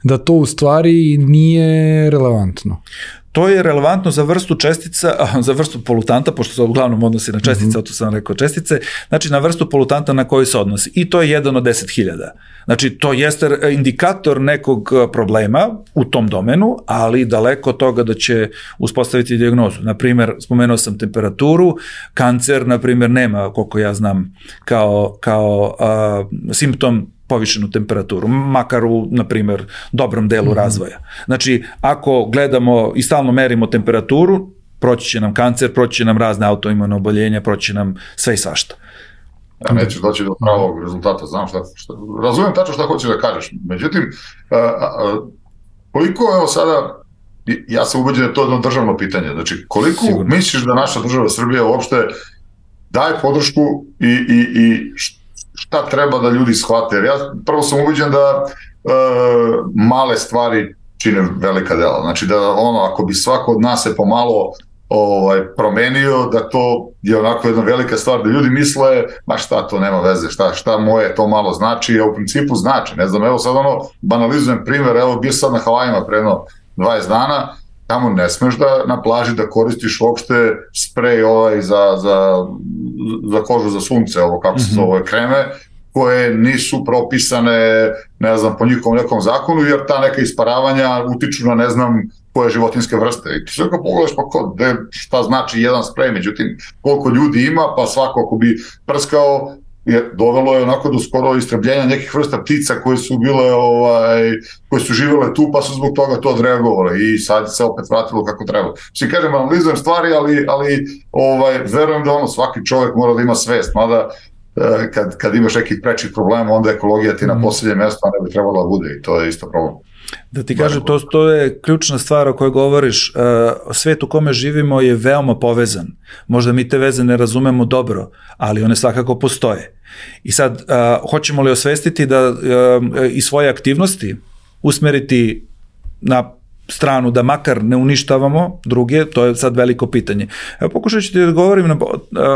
da to u stvari nije relevantno. To je relevantno za vrstu čestica, za vrstu polutanta, pošto se uglavnom odnosi na čestice, mm-hmm. to sam rekao čestice, znači na vrstu polutanta na koju se odnosi. I to je jedan od deset hiljada. Znači to jeste indikator nekog problema u tom domenu, ali daleko od toga da će uspostaviti dijagnozu. Naprimjer, spomenuo sam temperaturu, kancer, naprimjer, nema, koliko ja znam, kao, kao a, simptom povišenu temperaturu, makar u, na primjer, dobrom delu mm-hmm. razvoja. Znači, ako gledamo i stalno merimo temperaturu, proći će nam kancer, proći će nam razne autoimune oboljenja, proći će nam sve i svašta. Ja nećeš doći do pravog rezultata, znam šta, šta razumijem tačno šta hoćeš da kažeš. Međutim, a, a, koliko evo sada, ja sam ubeđen da je to jedno državno pitanje, znači koliko Sigurno. misliš da naša država Srbija uopšte daje podršku i, i, i šta treba da ljudi shvate, jer ja prvo sam ubeđen da e, male stvari čine velika dela, znači da ono, ako bi svako od nas se pomalo ovaj, promenio, da to je onako jedna velika stvar, da ljudi misle, ma šta to nema veze, šta, šta moje to malo znači, a u principu znači, ne znam, evo sad ono, banalizujem primjer, evo bio sad na Havajima pre jedno dvadeset dana, tamo ne smeš da na plaži da koristiš uopšte sprej ovaj za, za, za kožu za sunce, ovo kako se zove, kreme, koje nisu propisane, ne znam, po njihovom nekom zakonu, jer ta neka isparavanja utiču na ne znam koje životinske vrste. I ti sve kao pogledaš, pa ko, de, šta znači jedan sprej, međutim, koliko ljudi ima, pa svako ako bi prskao, je dovelo je onako do skoro istrebljenja nekih vrsta ptica koje su bile, ovaj, koje su živele tu, pa su zbog toga to odreagovale i sad se opet vratilo kako treba. Svi kažem, analizujem stvari, ali, ali ovaj, verujem da ono, svaki čovjek mora da ima svest, mada kad, kad imaš nekih prečih problema, onda ekologija ti na posljednje mjesto, a ne bi trebalo da bude i to je isto problem. Da ti kažem, to, to je ključna stvar o kojoj govoriš. Svet u kome živimo je veoma povezan. Možda mi te veze ne razumemo dobro, ali one svakako postoje. I sad, hoćemo li osvestiti da i svoje aktivnosti usmeriti na stranu da makar ne uništavamo druge, to je sad veliko pitanje. Evo, pokušat ću ti da govorim na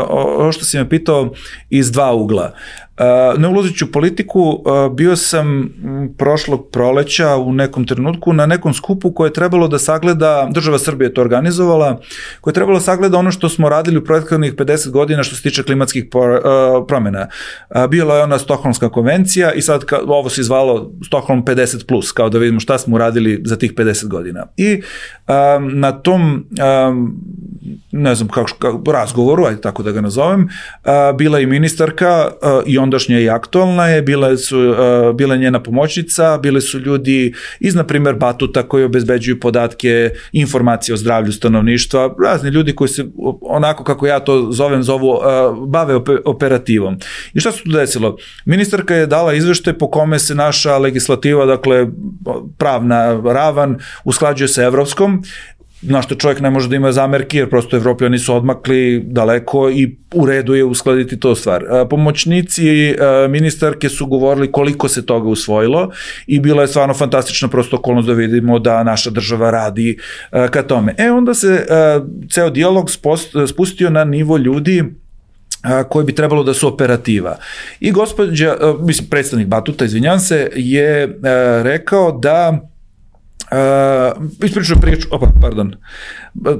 ovo što si me pitao iz dva ugla. Ne ulazeći u politiku, bio sam prošlog proleća u nekom trenutku na nekom skupu koje je trebalo da sagleda, država Srbije je to organizovala, koje je trebalo da sagleda ono što smo radili u prethodnih pedeset godina što se tiče klimatskih promjena. Bila je ona Stokholmska konvencija i sad ovo se zvalo Stockholm pedeset plus, kao da vidimo šta smo uradili za tih pedeset godina. I na tom ne znam kako, razgovoru, ajde tako da ga nazovem, bila i ministarka i ondašnja i aktualna je, bila su, bila njena pomoćnica, bile su ljudi iz, na primjer, Batuta koji obezbeđuju podatke, informacije o zdravlju stanovništva, razni ljudi koji se, onako kako ja to zovem, zovu, bave operativom. I šta se tu desilo? Ministarka je dala izveštaj po kome se naša legislativa, dakle, pravna ravan, usklađuje sa evropskom, na što čovjek ne može da ima zamerki, jer prosto Evropljani su odmakli daleko i u redu je uskladiti to stvar. Pomoćnici ministarke su govorili koliko se toga usvojilo i bila je stvarno fantastična prosto okolnost da vidimo da naša država radi ka tome. E onda se ceo dijalog spustio na nivo ljudi koji bi trebalo da su operativa. I gospođa, mislim, predstavnik Batuta, izvinjam se, je rekao da Uh, ispričao priču, opa, pardon,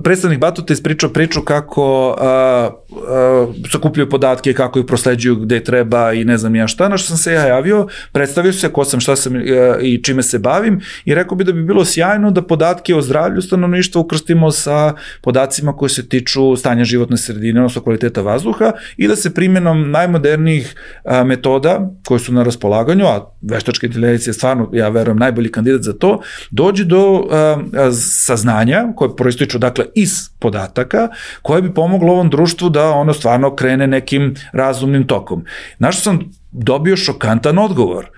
predstavnik Batuta ispričao priču kako uh, uh, sakupljaju podatke, kako ih prosleđuju gde treba i ne znam ja šta, na što sam se ja javio, predstavio se ko sam, šta sam uh, i čime se bavim i rekao bi da bi bilo sjajno da podatke o zdravlju stanovništva ukrstimo sa podacima koji se tiču stanja životne sredine, odnosno kvaliteta vazduha i da se primjenom najmodernijih uh, metoda koje su na raspolaganju, a veštačka inteligencija je stvarno, ja verujem, najbolji kandidat za to, dođe do uh, saznanja koje proističu dakle iz podataka koje bi pomoglo ovom društvu da ono stvarno krene nekim razumnim tokom. Na što sam dobio šokantan odgovor.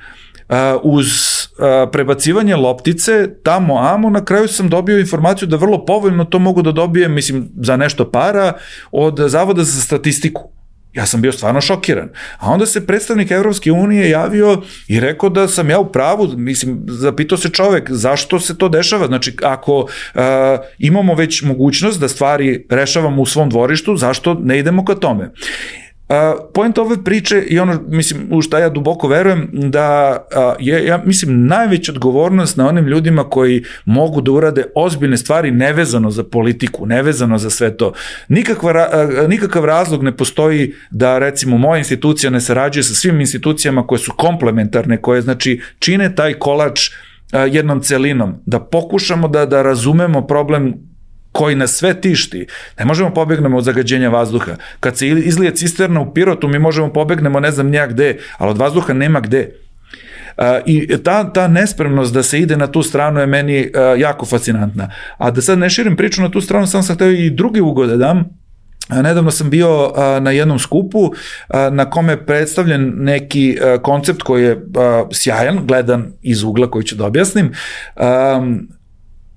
Uh, uz uh, prebacivanje loptice tamo amo, na kraju sam dobio informaciju da vrlo povoljno to mogu da dobijem, mislim, za nešto para od Zavoda za statistiku. Ja sam bio stvarno šokiran. A onda se predstavnik Evropske unije javio i rekao da sam ja u pravu, mislim, zapitao se čovek zašto se to dešava. Znači, ako uh, imamo već mogućnost da stvari rešavamo u svom dvorištu, zašto ne idemo ka tome? Uh, point ove priče i ono, mislim, u šta ja duboko verujem, da uh, je, ja mislim, najveća odgovornost na onim ljudima koji mogu da urade ozbiljne stvari nevezano za politiku, nevezano za sve to. Nikakva, uh, nikakav razlog ne postoji da, recimo, moja institucija ne sarađuje sa svim institucijama koje su komplementarne, koje, znači, čine taj kolač uh, jednom celinom, da pokušamo da, da razumemo problem koji nas sve tišti. Ne možemo pobegnemo od zagađenja vazduha. Kad se izlije cisterna u Pirotu, mi možemo pobegnemo ne znam nijak gde, ali od vazduha nema gde. I ta, ta nespremnost da se ide na tu stranu je meni jako fascinantna. A da sad ne širim priču na tu stranu, sam sam htio i drugi ugod da dam. Nedavno sam bio na jednom skupu na kome je predstavljen neki koncept koji je sjajan, gledan iz ugla koji ću da objasnim.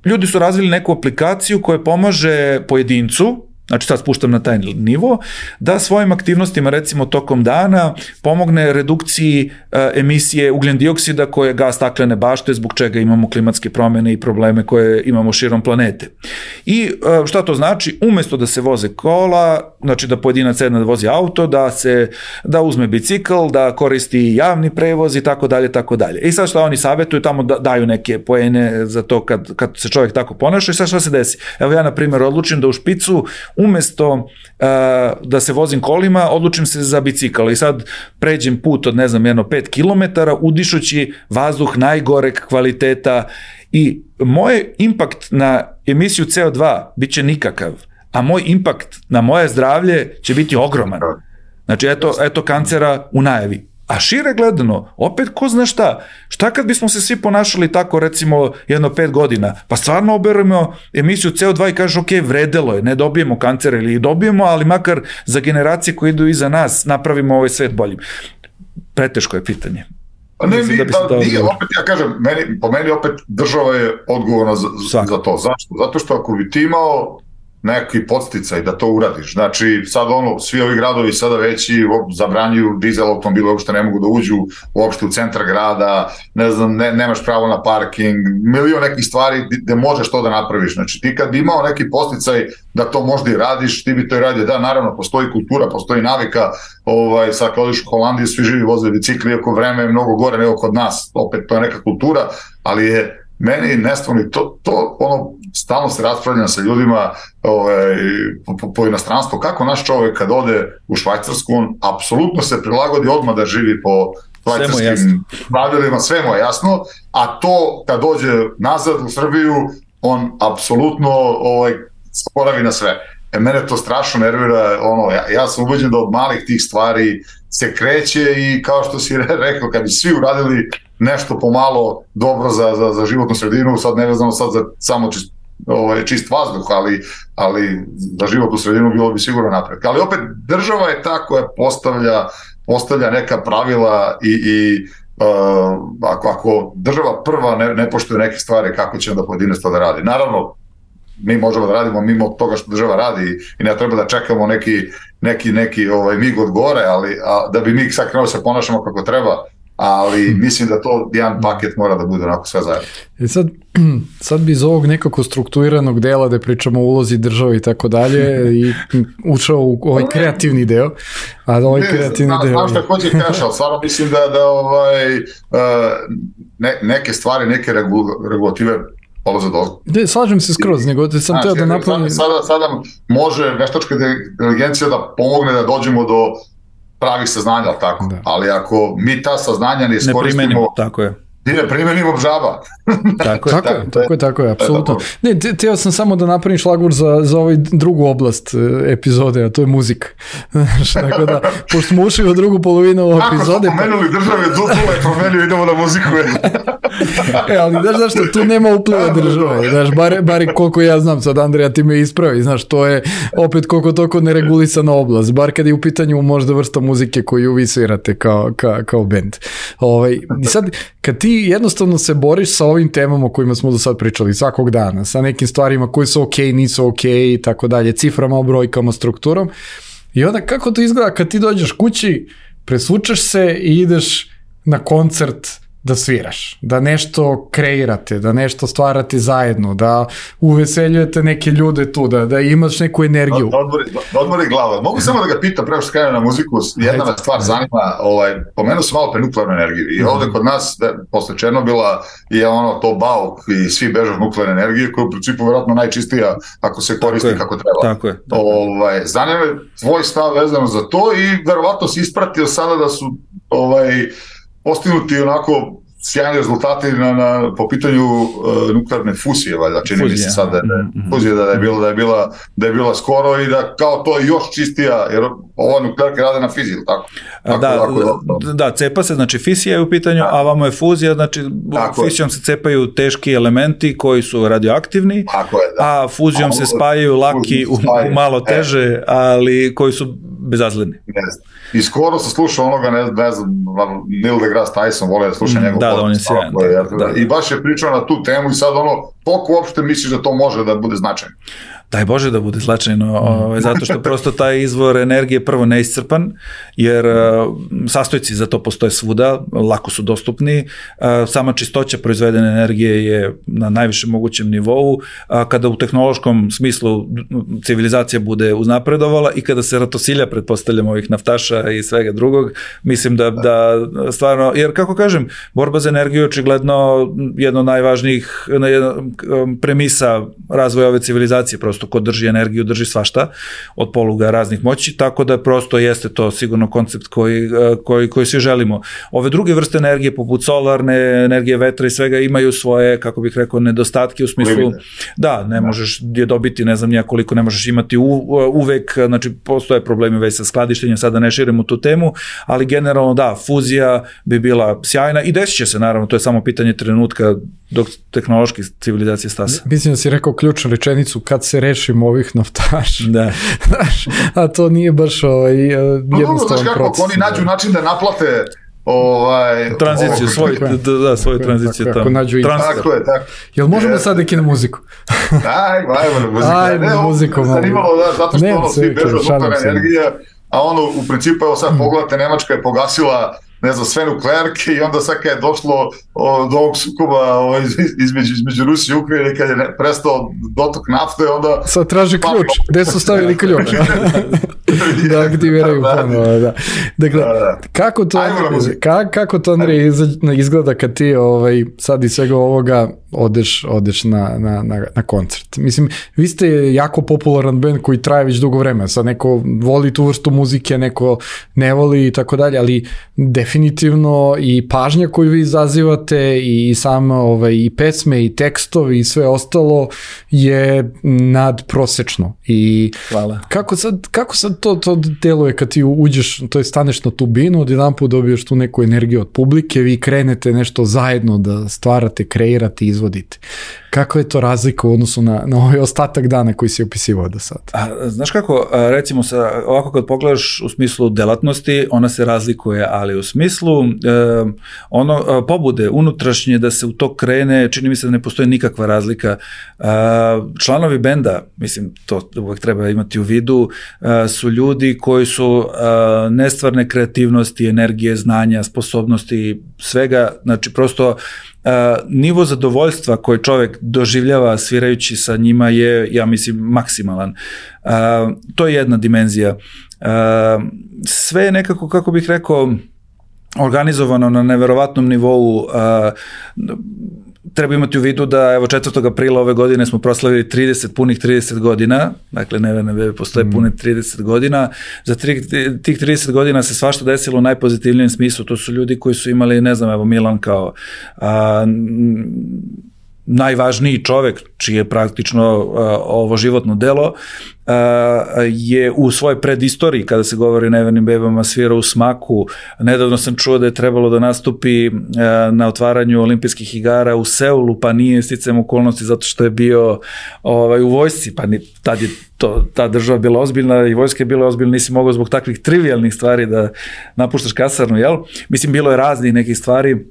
Ljudi su razvili neku aplikaciju koja pomaže pojedincu, znači sad spuštam na taj nivo, da svojim aktivnostima recimo tokom dana pomogne redukciji e, emisije ugljen dioksida koje je gas staklene bašte, zbog čega imamo klimatske promjene i probleme koje imamo širom planete. I e, šta to znači? Umesto da se voze kola, znači da pojedinac sedne da vozi auto, da se da uzme bicikl, da koristi javni prevoz i tako dalje, tako dalje. I sad šta oni savjetuju, tamo da, daju neke poene za to kad, kad se čovjek tako ponaša i sad šta se desi? Evo ja na primjer odlučim da u špicu umesto uh, da se vozim kolima, odlučim se za bicikl i sad pređem put od ne znam jedno pet kilometara udišući vazduh najgoreg kvaliteta i moj impakt na emisiju C O dva bit će nikakav, a moj impakt na moje zdravlje će biti ogroman. Znači eto, eto kancera u najavi. A šire gledano, opet ko zna šta, šta kad bismo se svi ponašali tako recimo jedno pet godina, pa stvarno oberemo emisiju C O dva i kažeš ok, vredelo je, ne dobijemo kancer ili dobijemo, ali makar za generacije koje idu iza nas napravimo ovaj svet boljim. Preteško je pitanje. Pa ne, mi, da da, nije, opet ja kažem, meni, po meni opet država je odgovorna za, za to. Zašto? Zato što ako bi ti imao neki podsticaj da to uradiš. Znači, sad ono, svi ovi gradovi sada veći zabranjuju dizel automobile, uopšte ne mogu da uđu uopšte u centar grada, ne znam, ne, nemaš pravo na parking, milion nekih stvari gde možeš to da napraviš. Znači, ti kad bi imao neki podsticaj da to možda i radiš, ti bi to i radio. Da, naravno, postoji kultura, postoji navika, ovaj, sad kad odiš u Holandiju, svi živi voze bicikli, iako vreme je mnogo gore nego kod nas, opet to je neka kultura, ali je meni nestvarno to, to ono, stalno se raspravljam sa ljudima ovaj, po, po, po inostranstvu, kako naš čovjek kad ode u Švajcarsku, on apsolutno se prilagodi odmah da živi po švajcarskim pravilima, sve mu je jasno, a to kad dođe nazad u Srbiju, on apsolutno ovaj, sporavi na sve. E, mene to strašno nervira, ono, ja, ja sam ubeđen da od malih tih stvari se kreće i kao što si rekao, kad bi svi uradili nešto pomalo dobro za, za, za životnu sredinu, sad ne vezano sad za samo čist, ovaj, čist vazduh, ali, ali za životnu sredinu bilo bi sigurno napredak. Ali opet država je ta koja postavlja, postavlja neka pravila i, i uh, ako, ako država prva ne, ne poštuje neke stvari, kako će onda pojedinac to da radi. Naravno, mi možemo da radimo mimo toga što država radi i ne treba da čekamo neki, neki, neki ovaj, mig od gore, ali a, da bi mi sad krenuo se ponašamo kako treba, ali mislim da to jedan paket mora da bude onako sve zajedno. E sad, sad bi iz ovog nekako strukturiranog dela da pričamo o ulozi države i tako dalje i ušao u ovaj kreativni deo, a da ovaj ne, kreativni zna, deo... Znam šta hoće kaš, ali stvarno mislim da, da ovaj, ne, neke stvari, neke regulative polaze dozgo. Ne, slažem se skroz, nego da sam znači, teo da napravim... Sada, sada može veštačka inteligencija da pomogne da dođemo do pravih saznanja, ali tako. Da. Ali ako mi ta saznanja ne iskoristimo, tako je. ne primenimo žaba. tako, tako, je, tako je, tako je, apsolutno. Ne, teo sam samo da napravim šlagvor za, za ovaj drugu oblast epizode, a to je muzika. Tako da, pošto smo ušli u drugu polovinu ove epizode... Ako smo pomenuli države, dupule, promenili, idemo na muziku. e, ali znaš zašto, tu nema upliva države. Znaš, bar, bar koliko ja znam, sad Andreja ti me ispravi, znaš, to je opet koliko toliko neregulisana oblast, bar kad je u pitanju možda vrsta muzike koju vi svirate kao, kao, kao band. Ovaj, i sad, kad ti jednostavno se boriš sa ovim temama o kojima smo do sad pričali svakog dana, sa nekim stvarima koji su ok, nisu ok i tako dalje, ciframa, brojkama, strukturom, i onda kako to izgleda kad ti dođeš kući, presvučeš se i ideš na koncert da sviraš, da nešto kreirate, da nešto stvarate zajedno, da uveseljujete neke ljude tu, da, da imaš neku energiju. Da, odmori, da odmori glava. Mogu samo da ga pitam, prema što skrenem na muziku, jedna me stvar zanima, ovaj, pomenuo sam malo pre nuklearnu energiju i ovde kod nas, da, posle Černobila, je ono to bauk i svi beže od nuklearne energije, koja je u principu vjerojatno najčistija ako se koristi tako kako treba. Tako je. Tako ovaj, zanima me tvoj stav vezano za to i verovatno si ispratio sada da su ovaj, postignuti onako sjajni rezultati na, na, po pitanju uh, nuklearne fusije, valjda, čini mi se sad da je, mm-hmm. fuzije da je, bila, da, je bila, da je bila skoro i da kao to još čistija, jer ovo nuklearke rade na fiziji, tako? Ako, da, ako da, cepa se, znači fisija je u pitanju, da. A vamo je fuzija, znači tako fisijom je. Se cepaju teški elementi koji su radioaktivni, tako je, da. A fuzijom a, se spajaju laki u, u malo teže, e. ali koji su bezazleni. Ne znam. I skoro sam slušao onoga, ne, ne znam, Neil deGrasse Tyson, volio da slušam njegov da, da, on je sjajan, da, da. I baš je pričao na tu temu i sad ono, koliko uopšte misliš da to može da bude značajno? Daj Bože da bude značajno, ovaj, zato što prosto taj izvor energije prvo neiscrpan, jer uh, sastojci za to postoje svuda, lako su dostupni, uh, sama čistoća proizvedene energije je na najvišem mogućem nivou, uh, kada u tehnološkom smislu civilizacija bude uznapredovala i kada se ratosilja, pretpostavljamo, ovih naftaša i svega drugog, mislim da, da stvarno, jer kako kažem, borba za energiju je očigledno jedna od najvažnijih jedna, premisa razvoja ove civilizacije, prosto ko drži energiju, drži svašta od poluga raznih moći, tako da prosto jeste to sigurno koncept koji, koji, koji svi želimo. Ove druge vrste energije, poput solarne energije, vetra i svega, imaju svoje, kako bih rekao, nedostatke u smislu, da, ne možeš je dobiti, ne znam nijakoliko, ne možeš imati u, uvek, znači postoje problemi već sa skladištenjem, sada ne širimo tu temu, ali generalno da, fuzija bi bila sjajna i desit će se, naravno, to je samo pitanje trenutka dok tehnološki civilizacije stasa. Mislim da si rekao ključnu rečenicu, kad se rešimo ovih naftaša. Da. A to nije baš ovaj, jednostavan no, proces. Oni nađu način da naplate ovaj, tranziciju, svoj, da, da, svoju tranziciju tamo. Tako je, tako. Jel možemo je, sad neki na muziku? Ajmo, ajmo na muziku. Ajmo na muziku. Zanimalo, da, zato što ono svi bežu od nuklearne energije, a ono, u principu, evo sad pogledate, Nemačka je pogasila ne znam, sve nuklearke i onda sad kad je došlo o, do ovog sukoba o, između, između Rusije i Ukrajine, kad je ne, prestao dotok nafte, onda... Sad traži ključ, gde su stavili ključ? Da aktiviraju ponovo, da. Dakle, da, da. Kako to, ka, kako to Andrej, izgleda kad ti ovaj, sad iz svega ovoga odeš, odeš na, na, na, na koncert? Mislim, vi ste jako popularan band koji traje već dugo vremena, sad neko voli tu vrstu muzike, neko ne voli i tako dalje, ali definitivno i pažnja koju vi izazivate i samo ovaj, i pesme i tekstovi i sve ostalo je nadprosečno. I hvala. Kako sad, kako sad to, to deluje kad ti uđeš, to je staneš na tu binu, odjedanput dobiješ tu neku energiju od publike, vi krenete nešto zajedno da stvarate, kreirate, izvodite. Kako je to razlika u odnosu na, na ovaj ostatak dana koji si opisivao do sad? A, znaš kako, recimo sa, ovako kad pogledaš u smislu delatnosti, ona se razlikuje, ali u smislu e, ono, pobude unutrašnje da se u to krene, čini mi se da ne postoji nikakva razlika. E, članovi benda, mislim, to uvek treba imati u vidu, e, su ljudi koji su e, nestvarne kreativnosti, energije, znanja, sposobnosti, svega, znači prosto Uh, nivo zadovoljstva koji čovjek doživljava svirajući sa njima je, ja mislim, maksimalan. Uh, to je jedna dimenzija. Uh, sve je nekako, kako bih rekao, organizovano na neverovatnom nivou. Uh, treba imati u vidu da evo četvrtog aprila ove godine smo proslavili trideset, punih trideset godina, dakle Neverne bebe postoje mm. pune trideset godina, za tri, tih trideset godina se svašta desilo u najpozitivnijem smislu, to su ljudi koji su imali, ne znam, evo Milan kao a, najvažniji čovek, čije je praktično a, ovo životno delo, a, je u svojoj predistoriji, kada se govori o Nevernim bebama, svirao u Smaku. Nedavno sam čuo da je trebalo da nastupi a, na otvaranju olimpijskih igara u Seulu, pa nije sticajem okolnosti zato što je bio ovaj, u vojsci, pa ni, tad je to, ta država bila ozbiljna i vojska je bila ozbiljna, nisi mogao zbog takvih trivialnih stvari da napuštaš kasarnu, jel? Mislim, bilo je raznih nekih stvari.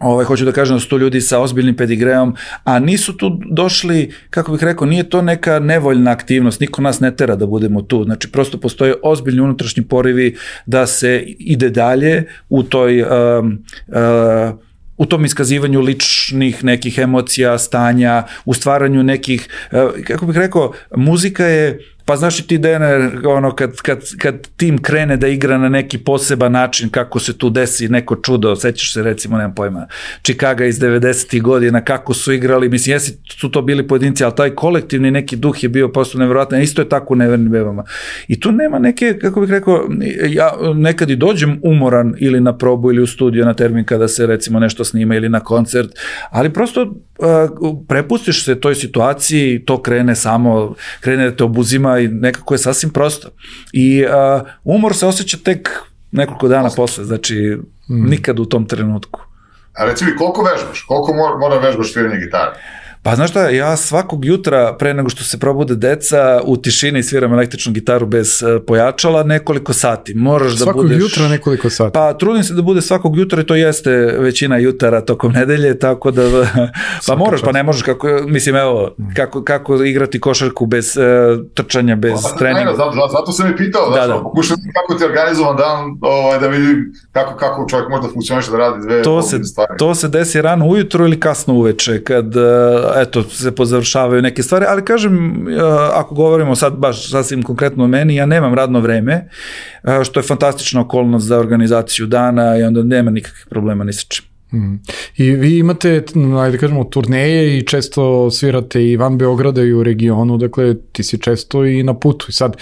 Ovaj, hoću da kažem da su to ljudi sa ozbiljnim pedigreom, a nisu tu došli, kako bih rekao, nije to neka nevoljna aktivnost, niko nas ne tera da budemo tu, znači prosto postoje ozbiljni unutrašnji porivi da se ide dalje u toj um, uh, u tom iskazivanju ličnih nekih emocija, stanja, u stvaranju nekih, uh, kako bih rekao, muzika je, pa znaš i ti, Dene, ono, kad, kad, kad tim krene da igra na neki poseban način, kako se tu desi neko čudo, sećaš se recimo, nemam pojma, Chicago iz devedesetih godina, kako su igrali, mislim, jesi su to bili pojedinci, ali taj kolektivni neki duh je bio prosto nevjerojatan, isto je tako u Nevernim bebama. I tu nema neke, kako bih rekao, ja nekad i dođem umoran ili na probu ili u studio na termin kada se recimo nešto snima ili na koncert, ali prosto uh, prepustiš se toj situaciji, to krene samo, krene da te obuzima ovaj, nekako je sasvim prosto. I uh, umor se osjeća tek nekoliko dana posle, znači mm. nikad u tom trenutku. A reci mi, koliko vežbaš? Koliko mora, mora vežbaš sviranje gitare? Pa znaš šta, ja svakog jutra pre nego što se probude deca u tišini sviram električnu gitaru bez uh, pojačala nekoliko sati. Moraš da svakog budeš... jutra nekoliko sati? Pa trudim se da bude svakog jutra i to jeste većina jutara tokom nedelje, tako da pa moraš, pa ne možeš kako, mislim evo, kako, kako igrati košarku bez uh, trčanja, bez pa, treninga. Zato, zato, zato sam i pitao, da, da. Pokušam kako ti je organizovan dan, ovaj, da vidim kako, kako čovjek može da funkcioniše da radi dve to se, stvari. To se desi rano ujutru ili kasno uveče, kad uh, eto, se pozavršavaju neke stvari, ali kažem, ako govorimo sad baš sasvim konkretno o meni, ja nemam radno vreme, što je fantastična okolnost za organizaciju dana i onda nema nikakvih problema ni sa čim. Hmm. I vi imate, ajde kažemo, turneje i često svirate i van Beograda i u regionu, dakle ti si često i na putu i sad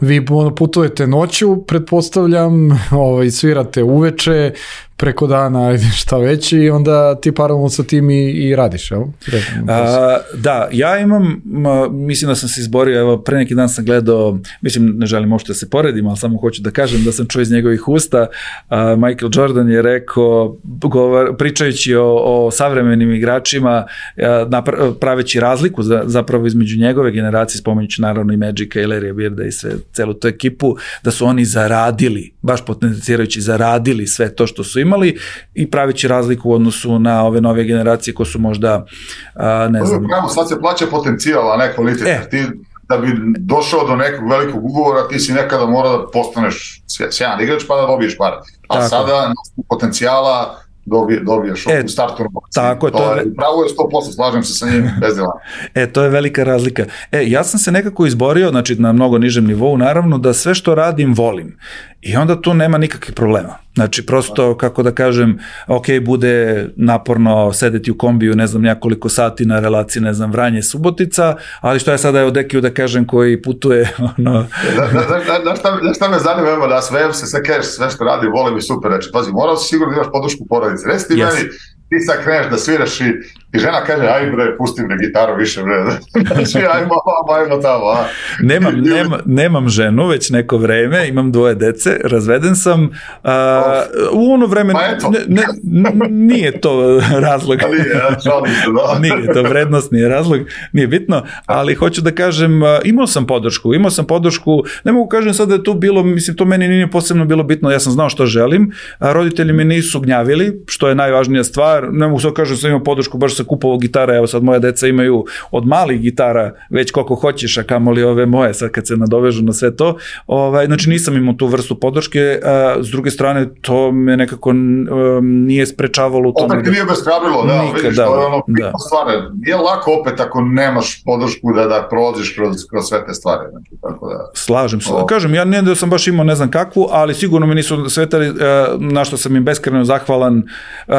vi putujete noću, pretpostavljam, ovaj, svirate uveče, preko dana, ajde šta već i onda ti paralelno sa tim i, i radiš, jel? A, da, ja imam, mislim da sam se izborio, evo pre neki dan sam gledao, mislim ne želim uopšte da se poredim, ali samo hoću da kažem da sam čuo iz njegovih usta, a, Michael Jordan je rekao, govor, pričajući o, o savremenim igračima, a, napra, praveći razliku za, zapravo između njegove generacije, spomenjući naravno i Magica i Larrya Birda i sve, celu tu ekipu, da su oni zaradili, baš potencirajući zaradili sve to što su imali i pravići razliku u odnosu na ove nove generacije koje su možda, a, ne znam... Pravo, sad se plaća potencijal, a ne kvalitet. E. Ti, da bi došao do nekog velikog ugovora, ti si nekada mora da postaneš sjajan igrač pa da dobiješ pare. A tako. Sada potencijala dobije, dobiješ e, u startu. Tako je. To, to je, pravo je sto posto, slažem se sa njim, bez dela. E, to je velika razlika. E, ja sam se nekako izborio, znači na mnogo nižem nivou, naravno, da sve što radim volim. I onda tu nema nikakvih problema. Znači, prosto, kako da kažem, ok, bude naporno sedeti u kombiju, ne znam, nekoliko sati na relaciji, ne znam, Vranje-Subotica, ali što ja sada evo Dekiju da kažem koji putuje, ono... Znaš šta me zanima, da sve se sve kažeš, sve što radi, volim i super, reći, pazi, morao si sigurno da imaš podršku porodice. Reci ti meni, ti sad kreneš da sviraš i, i žena kaže, aj bre, pusti bre gitaru više bre, znači ajmo, ajmo tamo, a. Nemam, nema, nemam ženu već neko vreme, imam dvoje dece, razveden sam, a, u ono vreme ne, ne, nije to razlog, nije to vrednost, nije razlog, nije bitno, ali hoću da kažem, imao sam podršku, imao sam podršku, ne mogu kažem sad da je to bilo, mislim, to meni nije posebno bilo bitno, ja sam znao što želim, a roditelji me nisu gnjavili, što je najvažnija stvar, ne mogu sad kažem da sam imao podršku, baš sa kupovao gitara, evo sad moje deca imaju od malih gitara već koliko hoćeš, a kamoli ove moje, sad kad se nadovežu na sve to, ovaj, znači nisam imao tu vrstu podrške, a s druge strane to me nekako um, nije sprečavalo u tome. Opet ti nije beskrabrilo, da, nikad, vidiš, da, to je ono da. stvar, nije lako opet ako nemaš podršku da, da prođeš kroz, kroz sve te stvari, znači, tako da... Slažem se, o... kažem, ja ne da sam baš imao ne znam kakvu, ali sigurno mi nisu svetali, uh, na što sam im beskreno zahvalan, uh,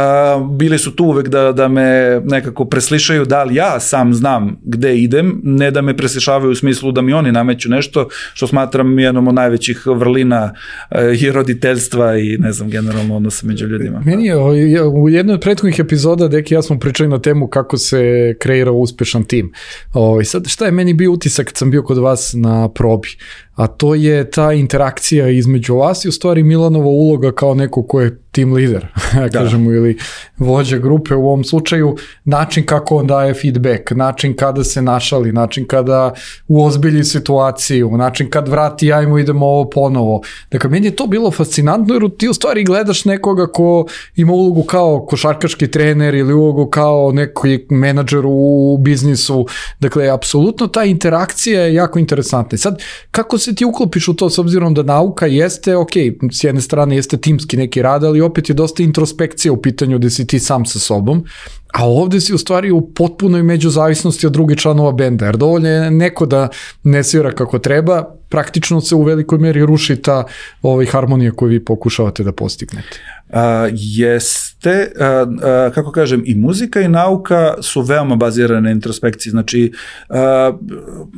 bili su tu uvek da, da me nekako preslišaju, da li ja sam znam gde idem, ne da me preslišavaju u smislu da mi oni nameću nešto, što smatram jednom od najvećih vrlina uh, i roditeljstva i ne znam, generalno odnosa među ljudima. Meni je u jednoj od prethodnih epizoda, Deki, ja smo pričali na temu kako se kreira uspešan tim. O, i sad, šta je meni bio utisak kad sam bio kod vas na probi? A to je ta interakcija između vas i u stvari Milanova uloga kao neko ko je team lider, kažemo, ili vođa grupe u ovom slučaju, način kako on daje feedback, način kada se našali, način kada uozbilji situaciju, način kad vrati, ajmo idemo ovo ponovo. Dakle, meni je to bilo fascinantno jer ti u stvari gledaš nekoga ko ima ulogu kao košarkaški trener ili ulogu kao neki menadžer u biznisu. Dakle, apsolutno ta interakcija je jako interesantna. Sad, kako se ti uklopiš u to s obzirom da nauka jeste, ok, s jedne strane jeste timski neki rad, ali opet je dosta introspekcija u pitanju gde si ti sam sa sobom, a ovde si u stvari u potpunoj međuzavisnosti od drugih članova benda, jer dovoljno je neko da ne svira kako treba, praktično se u velikoj meri ruši ta ovaj, harmonija koju vi pokušavate da postignete. Uh, jest, te, a, a, kako kažem, i muzika i nauka su veoma bazirane na introspekciji. Znači, a,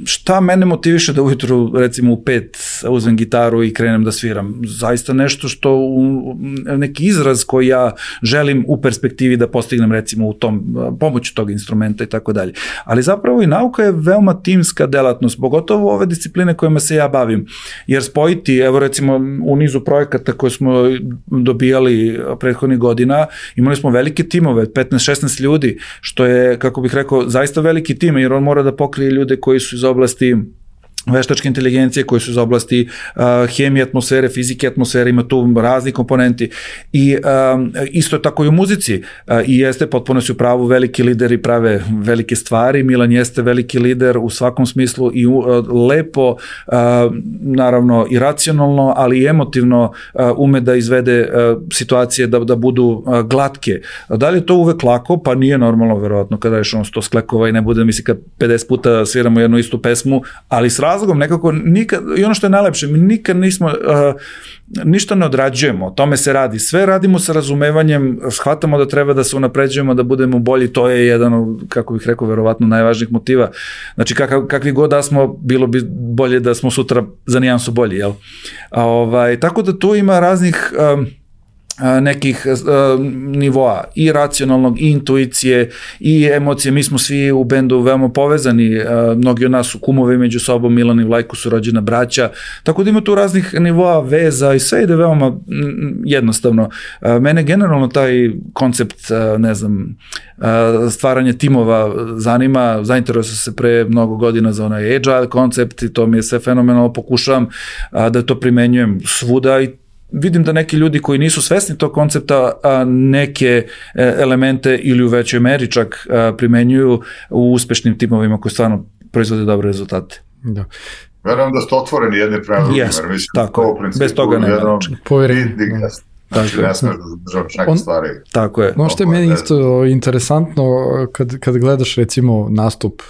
šta mene motiviše da ujutru, recimo u pet, uzmem gitaru i krenem da sviram? Zaista nešto što, u, neki izraz koji ja želim u perspektivi da postignem, recimo u tom, pomoću tog instrumenta i tako dalje. Ali zapravo i nauka je veoma timska delatnost, pogotovo ove discipline kojima se ja bavim. Jer spojiti, evo recimo u nizu projekata koje smo dobijali prethodnih godina, imali smo velike timove, petnaest šesnaest ljudi, što je, kako bih rekao, zaista veliki tim, jer on mora da pokrije ljude koji su iz oblasti veštačke inteligencije, koji su iz oblasti uh, hemije atmosfere, fizike atmosfere, ima tu razni komponenti. I um, isto je tako i u muzici. Uh, I jeste, potpuno su u pravu, veliki lideri prave velike stvari. Milan jeste veliki lider u svakom smislu i uh, lepo, uh, naravno i racionalno, ali i emotivno uh, ume da izvede uh, situacije da, da budu uh, glatke. Da li je to uvek lako? Pa nije normalno, verovatno, kada ješ ono sto sklekova i ne bude, misli kad pedeset puta sviramo jednu istu pesmu, ali s razlogom nekako nikad, i ono što je najlepše, mi nikad nismo, uh, ništa ne odrađujemo, o tome se radi, sve radimo sa razumevanjem, shvatamo da treba da se unapređujemo, da budemo bolji, to je jedan od, kako bih rekao, verovatno najvažnijih motiva. Znači, kakav, kakvi god da smo, bilo bi bolje da smo sutra za nijansu bolji, jel? A, ovaj, tako da tu ima raznih um, nekih uh, nivoa i racionalnog, i intuicije, i emocije. Mi smo svi u bendu veoma povezani, uh, mnogi od nas su kumovi među sobom, Milan i Vlajko su rođena braća, tako da ima tu raznih nivoa veza i sve ide veoma m, jednostavno. Uh, mene generalno taj koncept, uh, ne znam, uh, stvaranje timova zanima, zainteresovao sam se pre mnogo godina za onaj agile koncept i to mi je sve fenomenalno, pokušavam uh, da to primenjujem svuda i vidim da neki ljudi koji nisu svesni tog koncepta a neke elemente ili u većoj meri čak primenjuju u uspešnim timovima koji stvarno proizvode dobre rezultate. Da. Verujem da ste otvoreni jedni prema drugim. Yes, mislim, tako je. Bez toga nema način. Povjerenje. Znači, ne smiješ da zadržavaš neke stvari. Tako je. Ono što je meni isto interesantno, kad, kad gledaš recimo nastup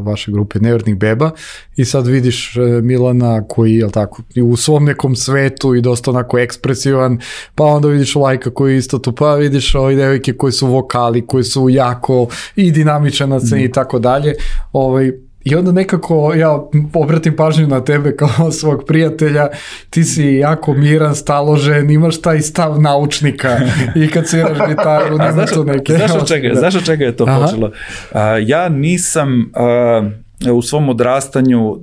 vaše grupe Nevernih beba i sad vidiš Milana koji je tako u svom nekom svetu i dosta onako ekspresivan, pa onda vidiš Lajka koji isto tu, pa vidiš ove devojke koji su vokali, koji su jako i dinamičan na sceni i tako dalje. Ovaj, I onda nekako ja obratim pažnju na tebe kao svog prijatelja, ti si jako miran, staložen, imaš taj stav naučnika i kad sviraš gitaru, nema to neke... Znaš od čega, znaš od čega je to Aha. počelo? Uh, ja nisam... Uh, u svom odrastanju, uh,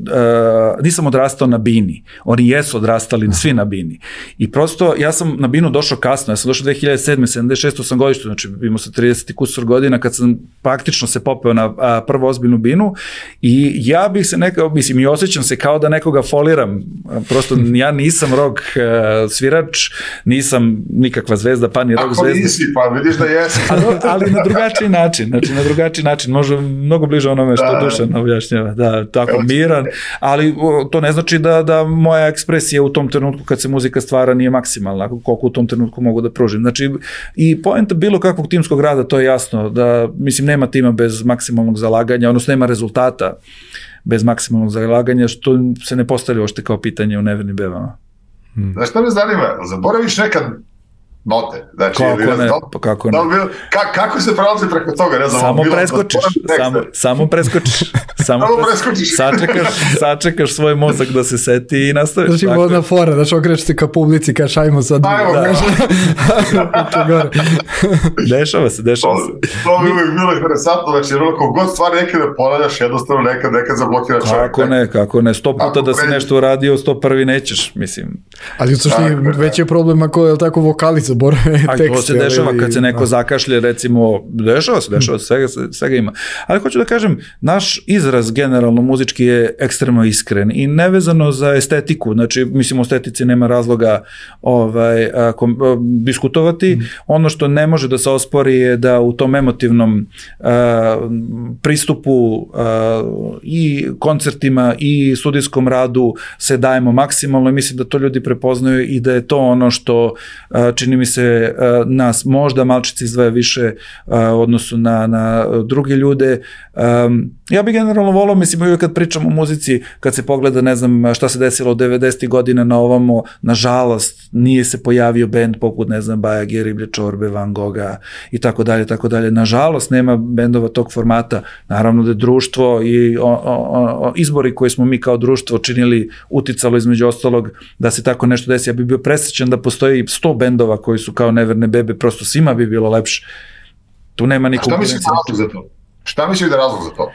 nisam odrastao na bini. Oni jesu odrastali svi na bini. I prosto, ja sam na binu došao kasno, ja sam došao dve hiljade sedme, sedamdeset šeste sam godište, znači imao sam trideset kusur godina kad sam praktično se popeo na a, prvu ozbiljnu binu i ja bih se nekao, mislim, i osjećam se kao da nekoga foliram. Prosto, ja nisam rock uh, svirač, nisam nikakva zvezda, pa ni rock zvezda. Ako nisi, pa vidiš da jesi. ali, ali na drugačiji način, znači na drugačiji način, možda mnogo bliže onome što da. Dušan objašnjava. Da, tako miran, ali to ne znači da, da moja ekspresija u tom trenutku kad se muzika stvara nije maksimalna, koliko u tom trenutku mogu da pružim. Znači, i poenta bilo kakvog timskog rada, to je jasno, da, mislim, nema tima bez maksimalnog zalaganja, odnosno nema rezultata bez maksimalnog zalaganja, što se ne postavlja ošte kao pitanje u Nevernim bebama. Hmm. Znaš što me zanima, zaboraviš nekad note, znači, kako ne, da, pa kako ne. Da, ka, kako se prelazi preko toga, ne znam, samo preskočiš, samo, samo preskočiš, samo preskočiš, sačekaš, sačekaš svoj mozak da se seti i nastaviš. Znači, vodna fora, znači, okrećeš se ka publici, kaš, ajmo sad. Ajmo, da, da. Dešava se, dešava se. To bi uvijek bilo interesantno, znači, kako god stvari nekad da ponavljaš, jednostavno nekad, nekad zablokira čovjek. Kako ne, kako ne, sto puta da si nešto uradio, sto prvi nećeš, mislim. Ali u suštini već je problem ako je tako vokalica, tekst. To se dešava kad se neko zakašlje, recimo, dešava se, dešava se, svega, svega ima. Ali hoću da kažem, naš izraz generalno muzički je ekstremno iskren i nevezano za estetiku, znači, mislim, o estetici nema razloga ovaj, a, kom, a, diskutovati. Mm. Ono što ne može da se ospori je da u tom emotivnom a, pristupu a, i koncertima i studijskom radu se dajemo maksimalno i mislim da to ljudi prepoznaju i da je to ono što a, čini mi mi se uh, nas možda malčice izdvaja više uh, u odnosu na, na druge ljude. Um, ja bih generalno volao, mislim, uvijek kad pričam o muzici, kad se pogleda, ne znam, šta se desilo od devedesetih godina na ovamo, nažalost, nije se pojavio bend poput, ne znam, Baja Geriblje, Čorbe, Van Gogha i tako dalje, tako dalje. Nažalost, nema bendova tog formata. Naravno da je društvo i o, o, o, izbori koje smo mi kao društvo činili uticalo između ostalog da se tako nešto desi. Ja bih bio presrećan da postoji sto bendova koji su kao neverne bebe, prosto svima bi bilo lepše. Tu nema nikog. Šta misliš da je razlog za to? Šta misliš da je razlog za to?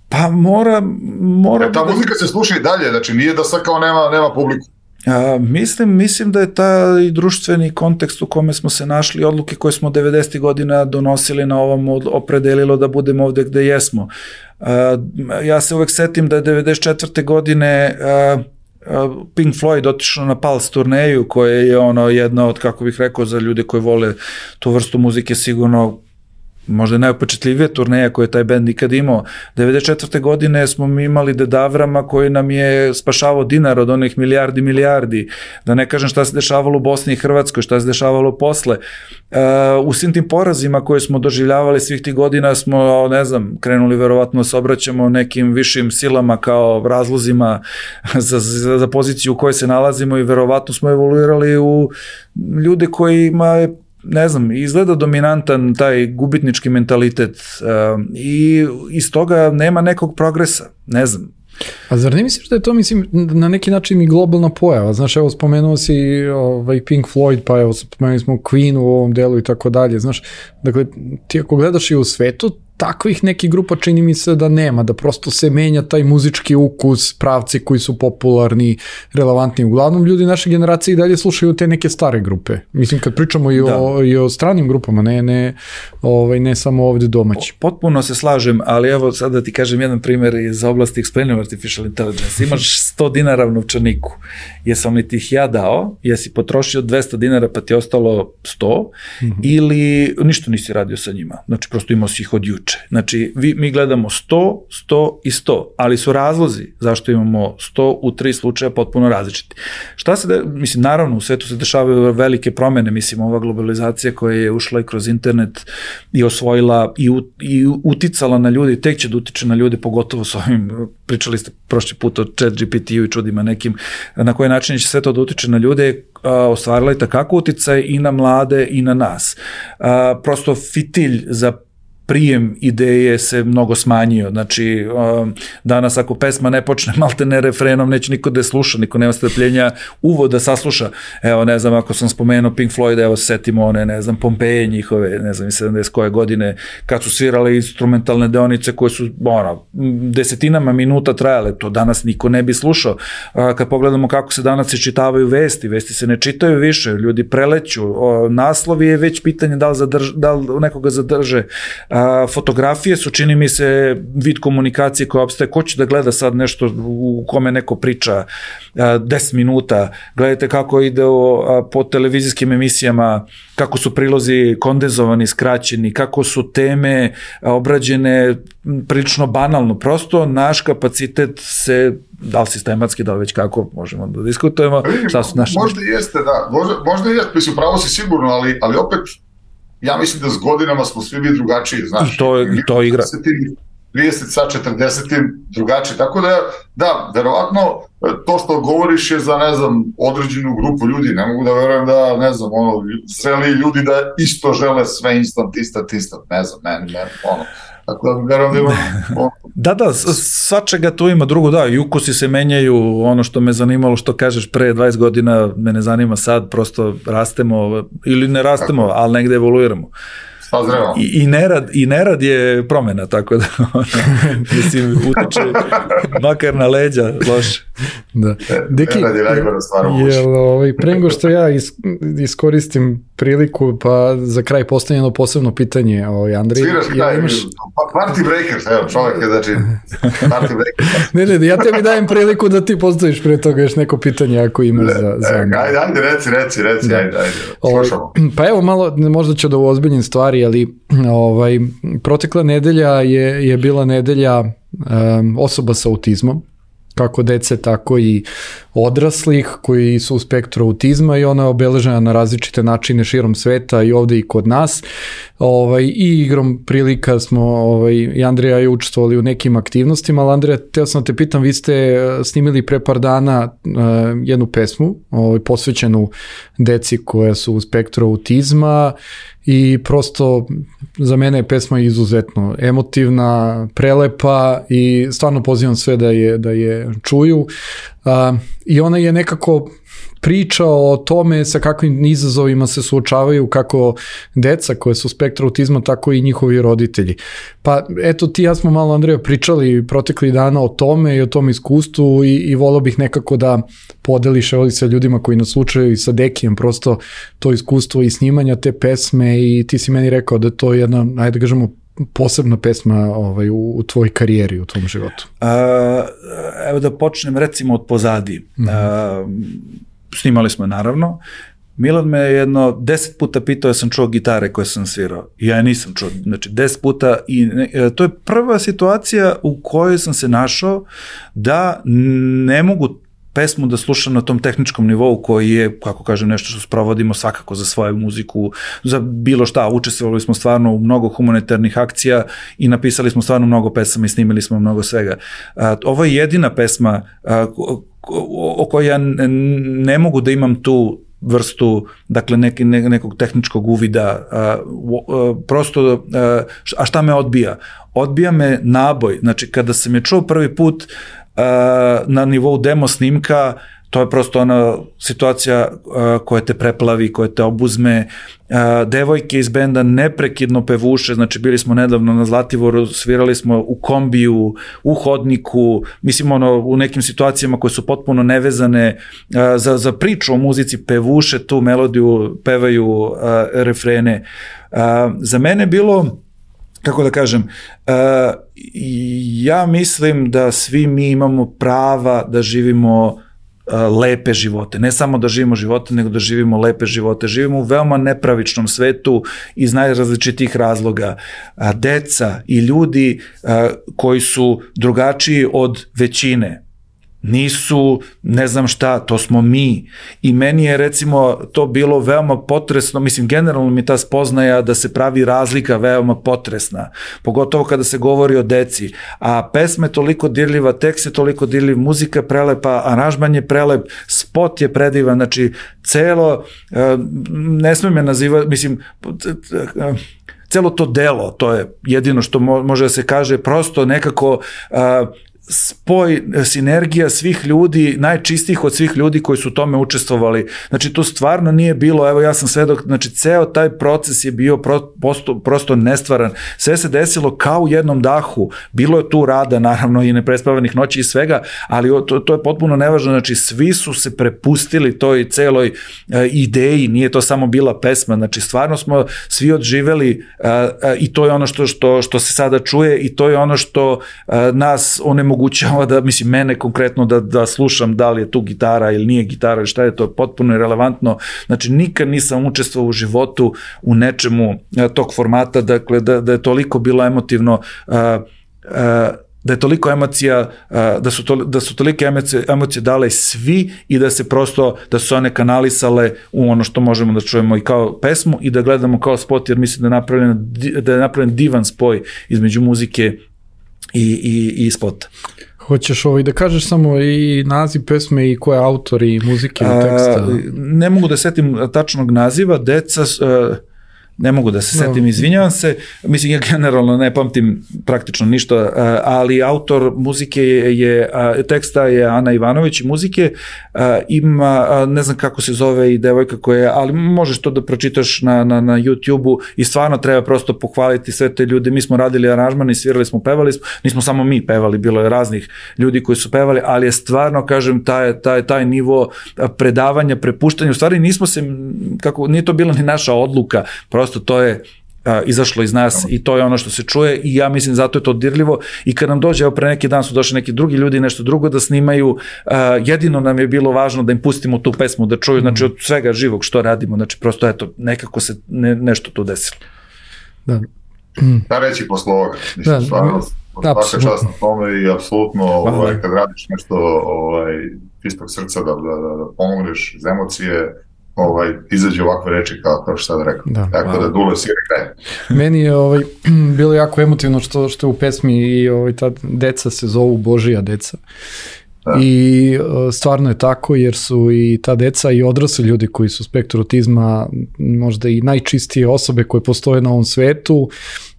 Pa mora... mora ta da... muzika se sluša i dalje, znači nije da sad kao nema, nema publiku. A, mislim, mislim da je taj društveni kontekst u kome smo se našli, odluke koje smo devedesetih godina donosili na ovom opredelilo da budemo ovde gde jesmo. A, ja se uvek setim da je devedeset četvrte godine a, a, Pink Floyd otišao na Pulse turneju, koja je ono jedna od, kako bih rekao, za ljude koji vole tu vrstu muzike sigurno možda je najupečetljivije turneja koje je taj bend nikad imao. devedeset četvrte godine smo mi imali Dedavrama koji nam je spašavao dinar od onih milijardi milijardi. Da ne kažem šta se dešavalo u Bosni i Hrvatskoj, šta se dešavalo posle. Uh, u svim tim porazima koje smo doživljavali svih tih godina smo, ne znam, krenuli verovatno se obraćamo nekim višim silama kao razlozima za, za, za poziciju u kojoj se nalazimo i verovatno smo evoluirali u ljude kojima je, ne znam, izgleda dominantan taj gubitnički mentalitet uh, i iz toga nema nekog progresa, ne znam. A zar ne misliš da je to, mislim, na neki način i globalna pojava? Znaš, evo, spomenuo si ovaj, Pink Floyd, pa evo, spomenuli smo Queen u ovom delu i tako dalje, znaš, dakle, ti ako gledaš i u svetu, takvih nekih grupa čini mi se da nema, da prosto se menja taj muzički ukus, pravci koji su popularni, relevantni. Uglavnom, ljudi naše generacije i dalje slušaju te neke stare grupe. Mislim, kad pričamo i, o, i o stranim grupama, ne, ne, ovaj, ne samo ovde domaći. Potpuno se slažem, ali evo sad da ti kažem jedan primjer iz oblasti Explainable Artificial Intelligence. Imaš sto dinara u novčaniku. Jesam li ti ih ja dao, jesi potrošio dvesta dinara pa ti je ostalo sto, mm-hmm. ili ništa nisi radio sa njima. Znači, prosto imao si ih od juče. Znači, vi, mi gledamo sto, sto i sto, ali su razlozi zašto imamo sto u tri slučaja potpuno različiti. Šta se, de, mislim, naravno, u svetu se dešavaju velike promene, mislim, ova globalizacija koja je ušla i kroz internet i osvojila i, u, i uticala na ljudi, tek će da utiče na ljude, pogotovo s ovim, pričali ste prošli put o Chat G P T-u i čudima nekim, na koji način će sve to da utiče na ljude, a, ostvarila je takako uticaj i na mlade i na nas. A, prosto fitilj za prijem ideje se mnogo smanjio, znači um, danas ako pesma ne počne malte ne refrenom, neće niko da je sluša, niko nema strpljenja uvod da sasluša. Evo, ne znam, ako sam spomenuo Pink Floyd, evo setimo one, ne znam, Pompeje njihove, ne znam, sedamdeset koje godine, kad su svirali instrumentalne deonice koje su, ono, desetinama minuta trajale, to danas niko ne bi slušao. A, kad pogledamo kako se danas se čitavaju vesti, vesti se ne čitaju više, ljudi preleću, o, naslovi je već pitanje da li, zadrž, da li nekoga zadrže. A, fotografije su, čini mi se, vid komunikacije koja opstaje. Ko će da gleda sad nešto u kome neko priča a, deset minuta? Gledajte kako ide o, a, po televizijskim emisijama, kako su prilozi kondenzovani, skraćeni, kako su teme a, obrađene prilično banalno. Prosto naš kapacitet se, da li sistematski, da li već kako, možemo da diskutujemo. Šta su naši... Možda jeste, da. Možda, možda jeste, mislim, pravo si sigurno, ali, ali opet ja mislim da s godinama smo svi bili drugačiji, znaš. I to, i to igra. trideset sa četrdeset drugačiji, tako da, da, verovatno to što govoriš je za, ne znam, određenu grupu ljudi, ne mogu da verujem da, ne znam, ono, zreli ljudi da isto žele sve instant, instant, instant, ne znam, ne, ne, ono. Tako da verujem da ima... Da, da, svačega tu ima. Drugo, da, i ukusi se menjaju, ono što me zanimalo, što kažeš pre dvadeset godina, me ne zanima sad, prosto rastemo, ili ne rastemo, tako, ali negde evoluiramo. I, i, nerad, I nerad je promena, tako da, ono, mislim, utiče makar na leđa, loše. Da. Deki, jel, ovaj, pre nego što ja is, iskoristim priliku, pa za kraj postavljeno posebno pitanje, ovaj, Andrej. Sviraš kraj, imaš... Party breakers, evo, čovjek je, znači, party breakers. Ne, ne, ja tebi dajem priliku da ti postaviš pre toga još neko pitanje ako imaš ne, za, za Andrej. Ajde, ajde, reci, reci, reci, da. ajde, ajde, slušamo. Pa evo, malo, možda ću da ozbiljnim stvari, ali ovaj, protekla nedelja je, je bila nedelja um, osoba sa autizmom kako dece, tako i odraslih koji su u spektru autizma i ona je obeležena na različite načine širom sveta i ovde i kod nas. Ovaj, i igrom prilika smo, ovaj, i Andrija je učestvovali u nekim aktivnostima, ali Andrija, teo sam da te pitam, vi ste snimili pre par dana uh, jednu pesmu ovaj, posvećenu deci koja su u spektru autizma i prosto za mene je pesma izuzetno emotivna, prelepa i stvarno pozivam sve da je, da je čuju. Uh, I ona je nekako priča o tome sa kakvim izazovima se suočavaju kako deca koje su u spektru autizma, tako i njihovi roditelji. Pa eto, ti ja smo malo, Andreja, pričali protekli dana o tome i o tom iskustvu i, i volao bih nekako da podeliš evo sa ljudima koji nas slučaju i sa Dekijem prosto to iskustvo i snimanja te pesme i ti si meni rekao da to je jedna, ajde da kažemo, posebna pesma ovaj, u, u tvojoj karijeri, u tvom životu. A, evo da počnem recimo od pozadi. Mm-hmm. A, snimali smo je naravno. Milan me jedno deset puta pitao, ja sam čuo gitare koje sam svirao. Ja je nisam čuo, znači deset puta i ne, to je prva situacija u kojoj sam se našao da ne mogu pesmu da slušam na tom tehničkom nivou koji je, kako kažem, nešto što sprovodimo svakako za svoju muziku, za bilo šta. Učestvovali smo stvarno u mnogo humanitarnih akcija i napisali smo stvarno mnogo pesama i snimili smo mnogo svega. A, ovo je jedina pesma a, o, o kojoj ja ne mogu da imam tu vrstu, dakle, neki, ne, nekog tehničkog uvida, a, a, prosto, a, a šta me odbija? Odbija me naboj, znači kada sam je čuo prvi put na nivou demo snimka, to je prosto ona situacija koja te preplavi, koja te obuzme. Devojke iz benda neprekidno pevuše, znači bili smo nedavno na Zlativoru, svirali smo u kombiju, u hodniku, mislim ono, u nekim situacijama koje su potpuno nevezane za, za priču o muzici, pevuše tu melodiju, pevaju refrene. Za mene bilo, kako da kažem, uh, ja mislim da svi mi imamo prava da živimo uh, lepe živote. Ne samo da živimo živote, nego da živimo lepe živote. Živimo u veoma nepravičnom svetu iz najrazličitih razloga. Uh, deca i ljudi uh, koji su drugačiji od većine nisu, ne znam šta, to smo mi. I meni je recimo to bilo veoma potresno, mislim generalno mi ta spoznaja da se pravi razlika veoma potresna, pogotovo kada se govori o deci, a pesma je toliko dirljiva, tekst je toliko dirljiv, muzika je prelepa, aranžman je prelep, spot je predivan, znači celo, ne smijem je nazivati, mislim, celo to delo, to je jedino što može da se kaže, prosto nekako spoj, sinergija svih ljudi, najčistijih od svih ljudi koji su u tome učestvovali. Znači, to stvarno nije bilo, evo ja sam svedok, znači, ceo taj proces je bio prosto, prosto nestvaran. Sve se desilo kao u jednom dahu. Bilo je tu rada, naravno, i neprespavanih noći i svega, ali to, to je potpuno nevažno. Znači, svi su se prepustili toj celoj uh, ideji, nije to samo bila pesma. Znači, stvarno smo svi odživeli uh, uh, i to je ono što, što, što se sada čuje i to je ono što uh, nas onemogućava mogućava da, mislim, mene konkretno da, da slušam da li je tu gitara ili nije gitara ili šta je, to potpuno irelevantno. Znači, nikad nisam učestvovao u životu u nečemu a, tog formata, dakle, da, da je toliko bilo emotivno, a, a, da je toliko emocija, a, da su, to, da su tolike emocije, emocije dale svi i da se prosto, da su one kanalisale u ono što možemo da čujemo i kao pesmu i da gledamo kao spot, jer mislim da je napravljen, da je napravljen divan spoj između muzike i, i, i spota. Hoćeš ovaj da kažeš samo i naziv pesme i ko je autor i muzike i teksta? A, ne mogu da setim tačnog naziva, deca... Uh, ne mogu da se setim, izvinjavam se, mislim, ja generalno ne pamtim praktično ništa, ali autor muzike je, teksta je Ana Ivanović i muzike ima, ne znam kako se zove i devojka koja je, ali možeš to da pročitaš na, na, na YouTube-u i stvarno treba prosto pohvaliti sve te ljude. Mi smo radili aranžman i svirali smo, pevali smo, nismo samo mi pevali, bilo je raznih ljudi koji su pevali, ali je stvarno, kažem, taj, taj, taj nivo predavanja, prepuštanja, u stvari nismo se, kako, nije to bila ni naša odluka, prosto to je a, izašlo iz nas i to je ono što se čuje i ja mislim zato je to dirljivo i kad nam dođe, evo pre neki dan su došli neki drugi ljudi nešto drugo da snimaju, a, jedino nam je bilo važno da im pustimo tu pesmu da čuju, znači od svega živog što radimo, znači prosto eto, nekako se ne, nešto tu desilo. Da. Da reći posle ovoga, mislim, da, stvarno. svaka čast na tome i apsolutno ovaj, kad radiš nešto ovaj, čistog srca da, da, da, da pomogneš iz emocije, ovaj, izađe ovakve reči kao, kao što sad rekao. Da, tako da Dule si kraj. Meni je ovaj, bilo jako emotivno što, što u pesmi i ovaj, ta deca se zovu Božija deca. Da. I stvarno je tako jer su i ta deca i odrasli ljudi koji su spektru autizma možda i najčistije osobe koje postoje na ovom svetu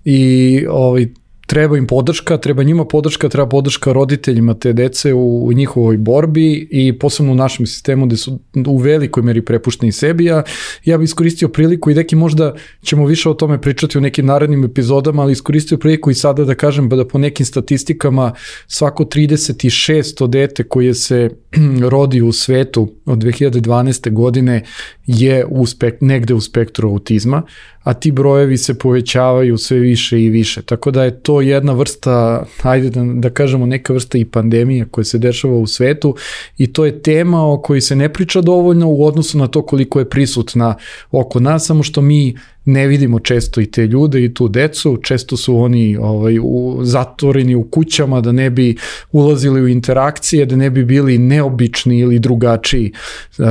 i ovaj, treba im podrška, treba njima podrška, treba podrška roditeljima te dece u, u njihovoj borbi i posebno u našem sistemu gde su u velikoj meri prepušteni sebi. Ja, ja bih iskoristio priliku i Deki možda ćemo više o tome pričati u nekim narednim epizodama, ali iskoristio priliku i sada da kažem da po nekim statistikama svako trideset šesto dete koje se rodi u svetu od dve hiljade dvanaeste. godine je u spek, negde u spektru autizma, a ti brojevi se povećavaju sve više i više. Tako da je to jedna vrsta, ajde da, da kažemo neka vrsta i pandemija koja se dešava u svetu i to je tema o kojoj se ne priča dovoljno u odnosu na to koliko je prisutna oko nas, samo što mi ne vidimo često i te ljude i tu decu, često su oni ovaj, u, zatvoreni u kućama da ne bi ulazili u interakcije, da ne bi bili neobični ili drugačiji uh,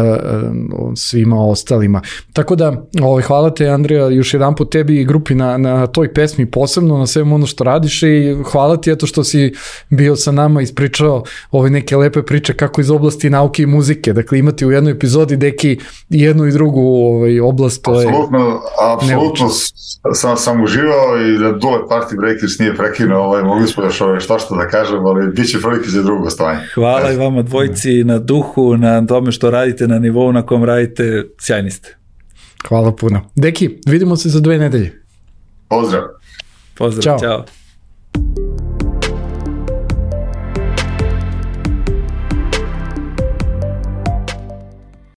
svima ostalima. Tako da, ovaj, hvala te Andreja još jedan put tebi i grupi na, na toj pesmi posebno, na svemu ono što radiš i hvala ti eto što si bio sa nama i ispričao ove neke lepe priče kako iz oblasti nauke i muzike. Dakle, imati u jednoj epizodi Deki jednu i drugu ovaj, oblast. To je... Apsolutno, apsolutno sam, sam uživao i da Dule Party Breakers nije prekinuo, ovaj, mogli smo još ovaj, šta što da kažem, ali bit će prilike za drugo stovanje. Hvala i vama dvojci na duhu, na tome što radite, na nivou na kom radite, sjajni ste. Hvala puno. Deki, vidimo se za dve nedelje. Pozdrav. Pozdrav, čao. Ćao.